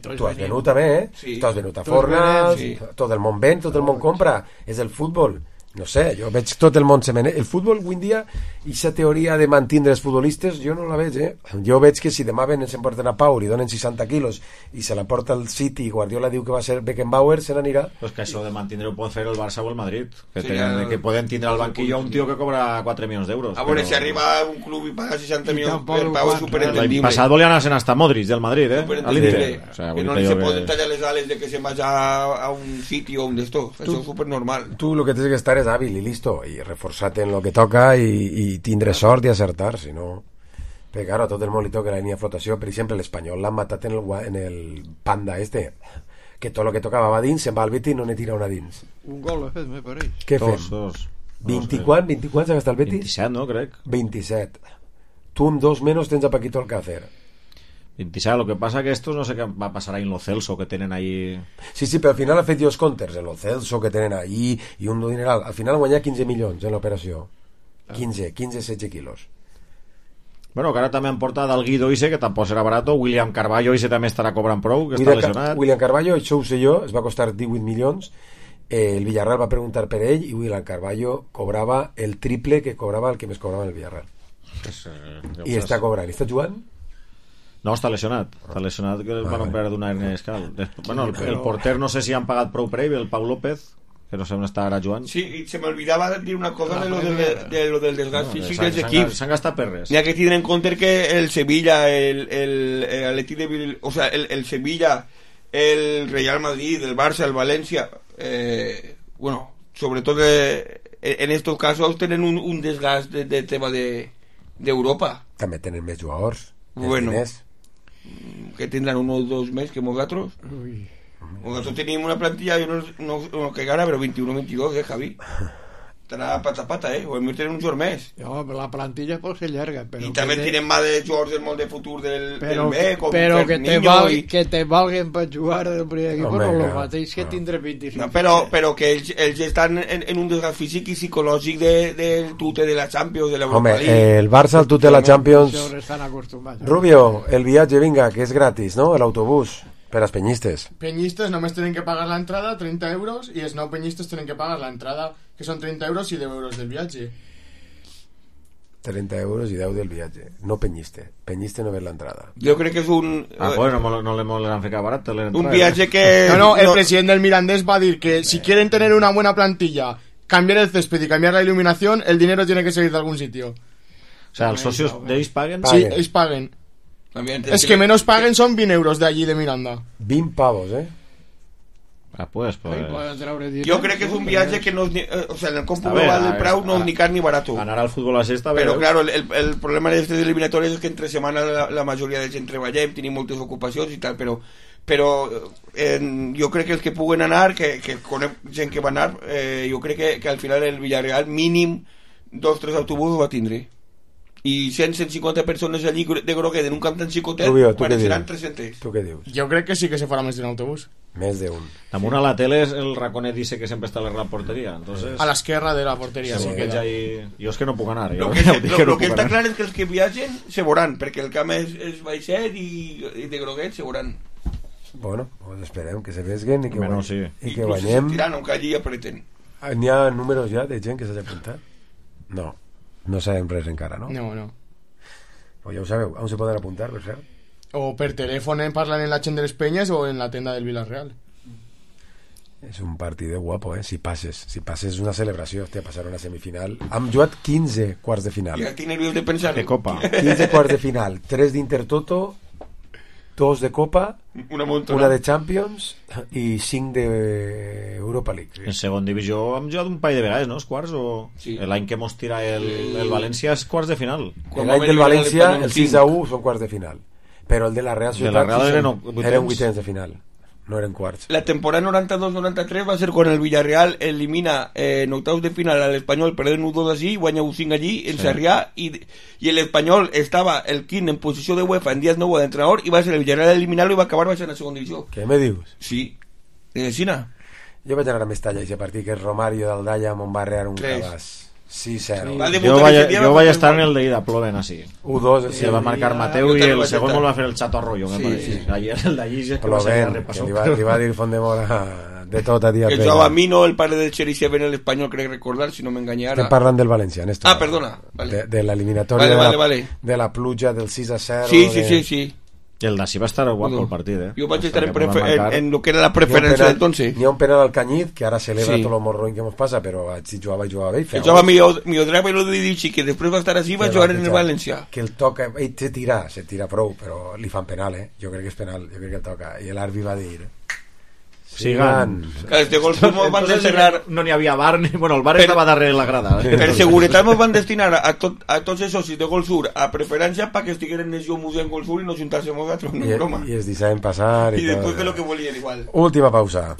Tu has venut també, eh? Tu has venut a Fornals, tot el món ven, tot el món compra. És el futbol. No sé, jo veig tot el món semene. El futbol avui en dia, aquesta teoria de mantindre els futbolistes, jo no la veig, eh? Jo veig que si demà venen s'emporten a Pau i donen seixanta quilos i se la porta al City i Guardiola diu que va ser Beckenbauer, se n'anirà. Pues que això de mantindre ho pot fer el Barça o el Madrid, que, sí, tenen, que poden tindre al banquillo un tio que cobra quatre milions d'euros. A veure, però... si arriba un club i paga seixanta milions per Pau és superentendible. L'any passat volien anar-se'n hasta Modric del Madrid, eh? A l'Inter. O sea, que no li se poden tallar les ales de que se'n vagi a un City o un d'estos. Això és supernormal. Tu el que tens que estar és hàbil i listo, i reforçar-te en lo que toca i, i tindre sort i acertar, si no... Perquè, claro, a tot el món li toca la línia de flotació. Per exemple, l'Espanyol l'han matat en el, en el Panda este, que tot lo que tocava va dins, se'n va al Betis i no n'he tirat una dins. Un gol ha fet, me pareix. Què fem? Dos, dos. vint-i-quatre, vint-i-quatre s'ha gastat el Betis? vint-i-set, no, crec. vint-i-set. Tu amb dos menos tens a Paquito Alcácer. vint-i-set, lo que pasa que estos no sé qué va a pasar ahí en Lo Celso que tienen ahí. Sí, sí, però al final ha fet dos counters en Lo Celso que tenen ahí i un dineral. Al final ha guanyat quinze milions en l'operació. quinze, quinze, setze quilos. Bueno, que ara també han portat el Guido Ise, que tampoc serà barato. William Carballo Ise també estarà cobrant prou, que està lesionat. William Carballo, això ho sé jo, es va costar divuit milions. Eh, el Villarreal va preguntar per ell i William Carballo cobrava el triple que cobrava el que més cobrava el Villarreal. Pues, eh, I està cobrant. I està jugant? No, està lesionat. Està lesionat que el van operar d'una hernia discal. Bueno, el, el porter no sé si han pagat prou per ell, el Pau López, que no sé on està ara jugant. Sí, i se m'olvidava dir una cosa de lo, de, de lo del desgast físic no, dels equips. S'han gastat per res. N'hi ha que tindre en compte que el Sevilla, el, el, el Atleti de Bil... o sea, el, el Sevilla, el Real Madrid, el Barça, el Valencia, eh, bueno, sobretot de, en estos casos tenen un, un desgast de, de tema de d'Europa. També tenen més jugadors. Bueno, que tindran un o dos més que nosaltres. Nosaltres tenim una plantilla, jo no, no, no que gana, però vint-i-u vint-i-dos, eh, Javi? Estarà pata a pata, eh? O hem de tenir un jugador més. No, però la plantilla pot ser llarga. Però I també tenim más de jugadors del món de futur del, però, del B, com però que te, val, i... que te valguen per jugar del primer equip, no, no, el mateix que no. Tindre vint-i-cinc. No, però, però que ells, ells estan en, en un desgast físic i psicològic de, del tute de la Champions, de l'Europa League. Home, el Barça, el tute de la Champions... Estan acostumats. Rubio, el viatge, vinga, que és gratis, no? L'autobús. Per als penyistes. Penyistes només tenen que pagar l'entrada, trenta euros, i els nou penyistes tenen que pagar l'entrada, que són trenta euros i deu euros del viatge. trenta euros i deu del viatge. No penyiste. Penyiste no ve l'entrada. Jo crec que és un... Ah, bueno, no, no le molen ficar barat. Un viatge que... No, no, el no... president del Mirandés va dir que si quieren tener una buena plantilla, cambiar el césped y cambiar la iluminación, el dinero tiene que salir de algún sitio. O sea, ¿els socios de ells paguen? Sí, ells paguen. Es que menos paguen son veinte euros de allí de Miranda. veinte pavos, eh. Ah, pues, pues... Jo crec que és un viatge que no és ni, eh, o sea, en el còmput global del preu no és ni car ni barato. Anar al futbol a sexta, però claro, el, el problema d'aquestes eliminatòries és que entre setmana la, la majoria de gent treballem, tenim moltes ocupacions i tal, però però eh, jo crec que els que puguen anar, que, que conec gent que va anar, eh, jo crec que, que al final el Villarreal mínim dos tres autobusos va tindre. I cent a cent cinquanta persones allí de groguet en un camp tan xicotet pareixeran tres-cents. Tu què dius? Jo crec que sí que se farà més d'un autobús. Més d'un. Damunt a la tele el raconet dice que sempre està a la porteria. Entonces... A l'esquerra de la porteria. Sí, sí, ahí... Jo és que no puc anar. Lo que, lo, que, lo que està clar és que els que viatgen se veuran, perquè el camp és, és baixet i, i de groguet se veuran. Bueno, pues esperem que se vesguen i que, bueno, sí. i que guanyem. I tiran, aunque allí apreten. N'hi ha números ja de gent que s'ha apuntat? No. No sabem res encara, no? No, no. O ja ho sabeu, on se poden apuntar, per cert? O per telèfon parlen en la gent de les Penyes o en la tenda del Villarreal. És un partit guapo, eh? Si passes, si passes una celebració, hòstia, passar una semifinal. Hem jugat quinze quarts de final. Ja tinc nerviós de pensar. De Copa. quinze quarts de final, tres d'Intertoto, dos de Copa Una montona. Una de Champions i cinc d'Europa League. En segon divisió hem jugat un parell de vegades, no? Els quarts o... Sí. L'any que mos tira el, el València és quarts de final. L'any del València, el sis a u, són quarts de final. Però el de la Real Societat de la Real eren, eren, eren vuitens de final. No eren quarts. La temporada noranta-dos noranta-tres va ser quan el Villarreal elimina eh, en octavos de final al Espanyol, perdent u dos allí, guanya u cinc allí, en sí. Sarrià, i, i el Espanyol estava el quint en posició de UEFA en dies nou d'entrenador, i va ser el Villarreal eliminar-lo i va acabar baixant a segona divisió. Què me dius? Sí, de Sina. Jo vaig anar a Mestalla aquest partit, que és Romario d'Aldalla amb un barrear un cabàs. Sí, cero. Sí. Jo vaig, jo vaig estar en el d'Ida, ploven així. u dos, sí, va marcar Mateu i el segon el va fer el Chato Arroyo, me sí, parece. Sí. Ayer el d'allí és que va ser repassó. Li va, li va dir Fondemora de tot a dia. Que jugava a Mino, el pare del Cherisev en l'Espanyol, crec recordar, si no m'enganyara. Estem parlant del València, Néstor. Ah, perdona. Vale. De, de l'eliminatòria vale, vale, de, la, vale. de la pluja del sis a zero. Sí, sí, de... sí, sí. I el d'Així va estar guapo el partit, eh? Jo vaig estar en, prefer en, en lo que era la preferència d'entonces. N'hi ha un penal al Cañiz, que ara celebra sí. tot el morroïn que ens passa, però si jugava i jugava bé. Que jugava Miodrava i lo de Didici, que després va estar així i va jugar en el València. Que el toca, ell se tira, se tira prou, però li fan penal, eh? Jo crec que és penal, jo crec que el toca. I l'àrbitre va dir... Sigan. Este gol mos van destinar... No n'hi havia bar, ni... bueno, el bar per... estava darrere la grada. Eh? Per seguretat mos van destinar a, tot, a tots els socis de Gol Sur a preferència perquè estigueren en el museu en Gol Sur i no juntàsemos a tros, no broma. I es deixaven passar i, i després de lo que volien igual. Última pausa.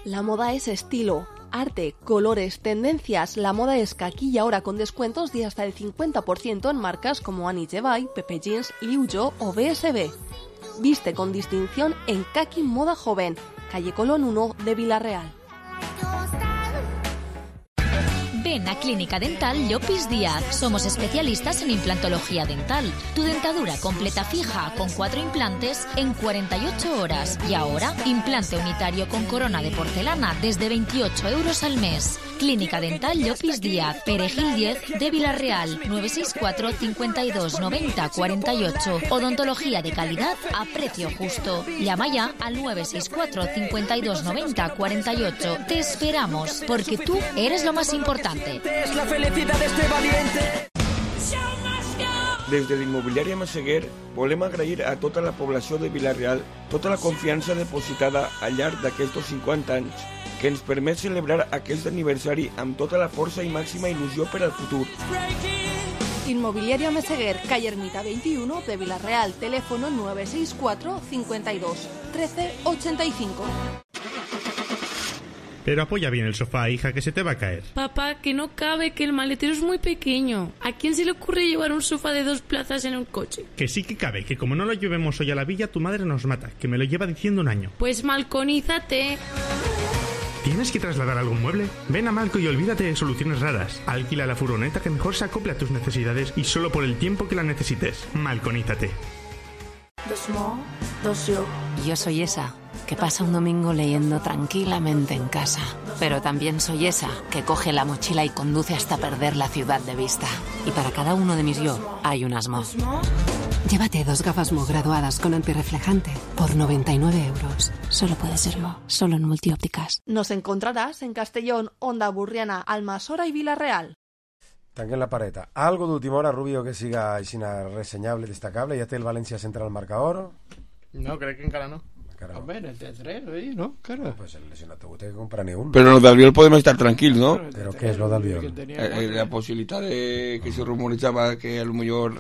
La moda es estilo, arte, colores, tendencias. La moda es Kaki y ahora con descuentos de hasta el cincuenta por ciento en marcas como Annie Jevay, Pepe Jeans, Liu Jo o B S B. Viste con distinción en Kaki Moda Joven, calle Colón uno de Villarreal. Ven a Clínica Dental Llopis Díaz. Somos especialistas en implantología dental. Tu dentadura completa fija con cuatro implantes en cuarenta y ocho horas. Y ahora, implante unitario con corona de porcelana desde veintiocho euros al mes. Clínica Dental Llopis Díaz, Perejil diez de Villarreal, nueve seis cuatro, cincuenta y dos, noventa, cuarenta y ocho. Odontología de calidad a precio justo. Llama ya al nueve seis cuatro, cincuenta y dos, noventa, cuarenta y ocho. Te esperamos, porque tú eres lo más importante. Es la felicidad de este valiente. Des de l'immobiliària Massaguer volem agrair a tota la població de Villarreal tota la confiança depositada al llarg d'aquests cinquanta anys que ens permet celebrar aquest aniversari amb tota la força i màxima il·lusió per al futur. Inmobiliaria Meseguer, calle Ermita veintiuno de Villarreal, teléfono nueve seis cuatro, cincuenta y dos, trece, ochenta y cinco. Pero apoya bien el sofá, hija, que se te va a caer. Papá, que no cabe, que el maletero es muy pequeño. ¿A quién se le ocurre llevar un sofá de dos plazas en un coche? Que sí que cabe, que como no lo llevemos hoy a la villa, tu madre nos mata, que me lo lleva diciendo un año. Pues malconízate. ¿Tienes que trasladar algún mueble? Ven a Malco y olvídate de soluciones raras. Alquila la furgoneta que mejor se acople a tus necesidades y solo por el tiempo que la necesites. Malconízate. Dos mo, dos yo. Yo soy esa que pasa un domingo leyendo tranquilamente en casa. Pero también soy esa que coge la mochila y conduce hasta perder la ciudad de vista. Y para cada uno de mis yo hay un asmo. Llévate dos gafas Mo graduadas con antirreflejante por noventa y nueve euros. Solo puede ser Mo, solo en Multiópticas. Nos encontrarás en Castellón, Onda Burriana, Almasora y Villarreal. Tanquen la pareta. ¿Algo de última hora, Rubio, que siga reseñable, destacable? ¿Ya té el València central al marcador? No, crec que encara no. Encara no. Home, en el T tres, oi? No? Encara. Pues el lesionat ho té que comprar ni un. Però lo d'Albiol podem estar tranquils, ¿no? ¿Pero qué es lo d'Albiol? Eh, la posibilitat de que se rumorejava que a lo mejor...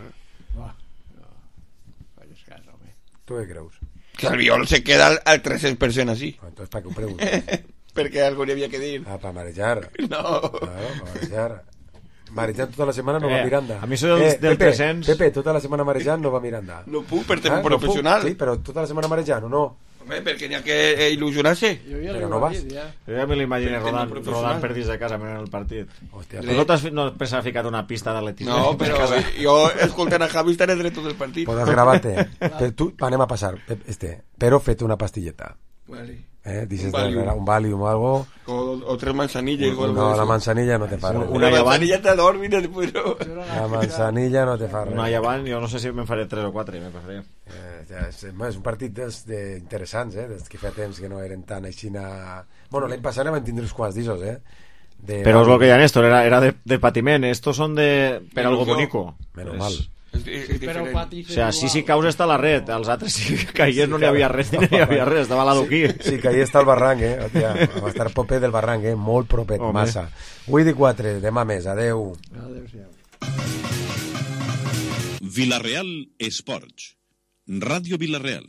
¿Tú qué creus? Que Albiol se queda al, al trescientos per cent así. Pues entonces, ¿para qué ho preguntes? Perquè algo n'hi havia que dir. Ah, para marejar. No. Claro, para marejar. Marejant tota la setmana no eh, va Miranda. A mi això del, eh, del Pepe, tres-cents... Pepe, tota la setmana marejant no va Miranda. No puc per tema ah, professional. No puc, sí, però tota la setmana marejant o no? Home, perquè n'hi ha que eh, il·lusionar-se. Però no vas. Ja. Jo ja me l'imagino rodant, rodant per dins de casa mirant el partit. Hòstia, tu no t'has no has ficat una pista d'atletisme? No, però jo escoltant a Javi estaré dret tot el partit. Podes gravar-te. Tu, anem a passar. Este, però fet una pastilleta. Vale. Eh, dices un Valium, un Valium o algo. O, o tres manzanillas. No, no la manzanilla no te fa res. Una manzanilla te dormir después. La manzanilla no te fa res. Una llevant, jo no sé si me'n faré tres o quatre, me pasaré. Eh, ja, és, és un partit dels de interessants, eh, dels que fa temps que no eren tan aixina... Bueno, l'any passat van tindre uns quants d'issos, eh. De... Però és el que hi ha, Néstor, era, era de, de patiment. Estos son de... per algo bonico. Menos mal. Però pati... O sea, sí, si caus està la red, els altres si caigués no n'hi havia res, no n'hi havia res, estava l'adoquí. Sí, que ahí està el barranc, eh? Hòstia, va estar proper del barranc, eh? Molt propet, Home. massa. Avui di quatre, demà més, adeu. Adéu-siau. Vilareal Esports. Ràdio Vilareal.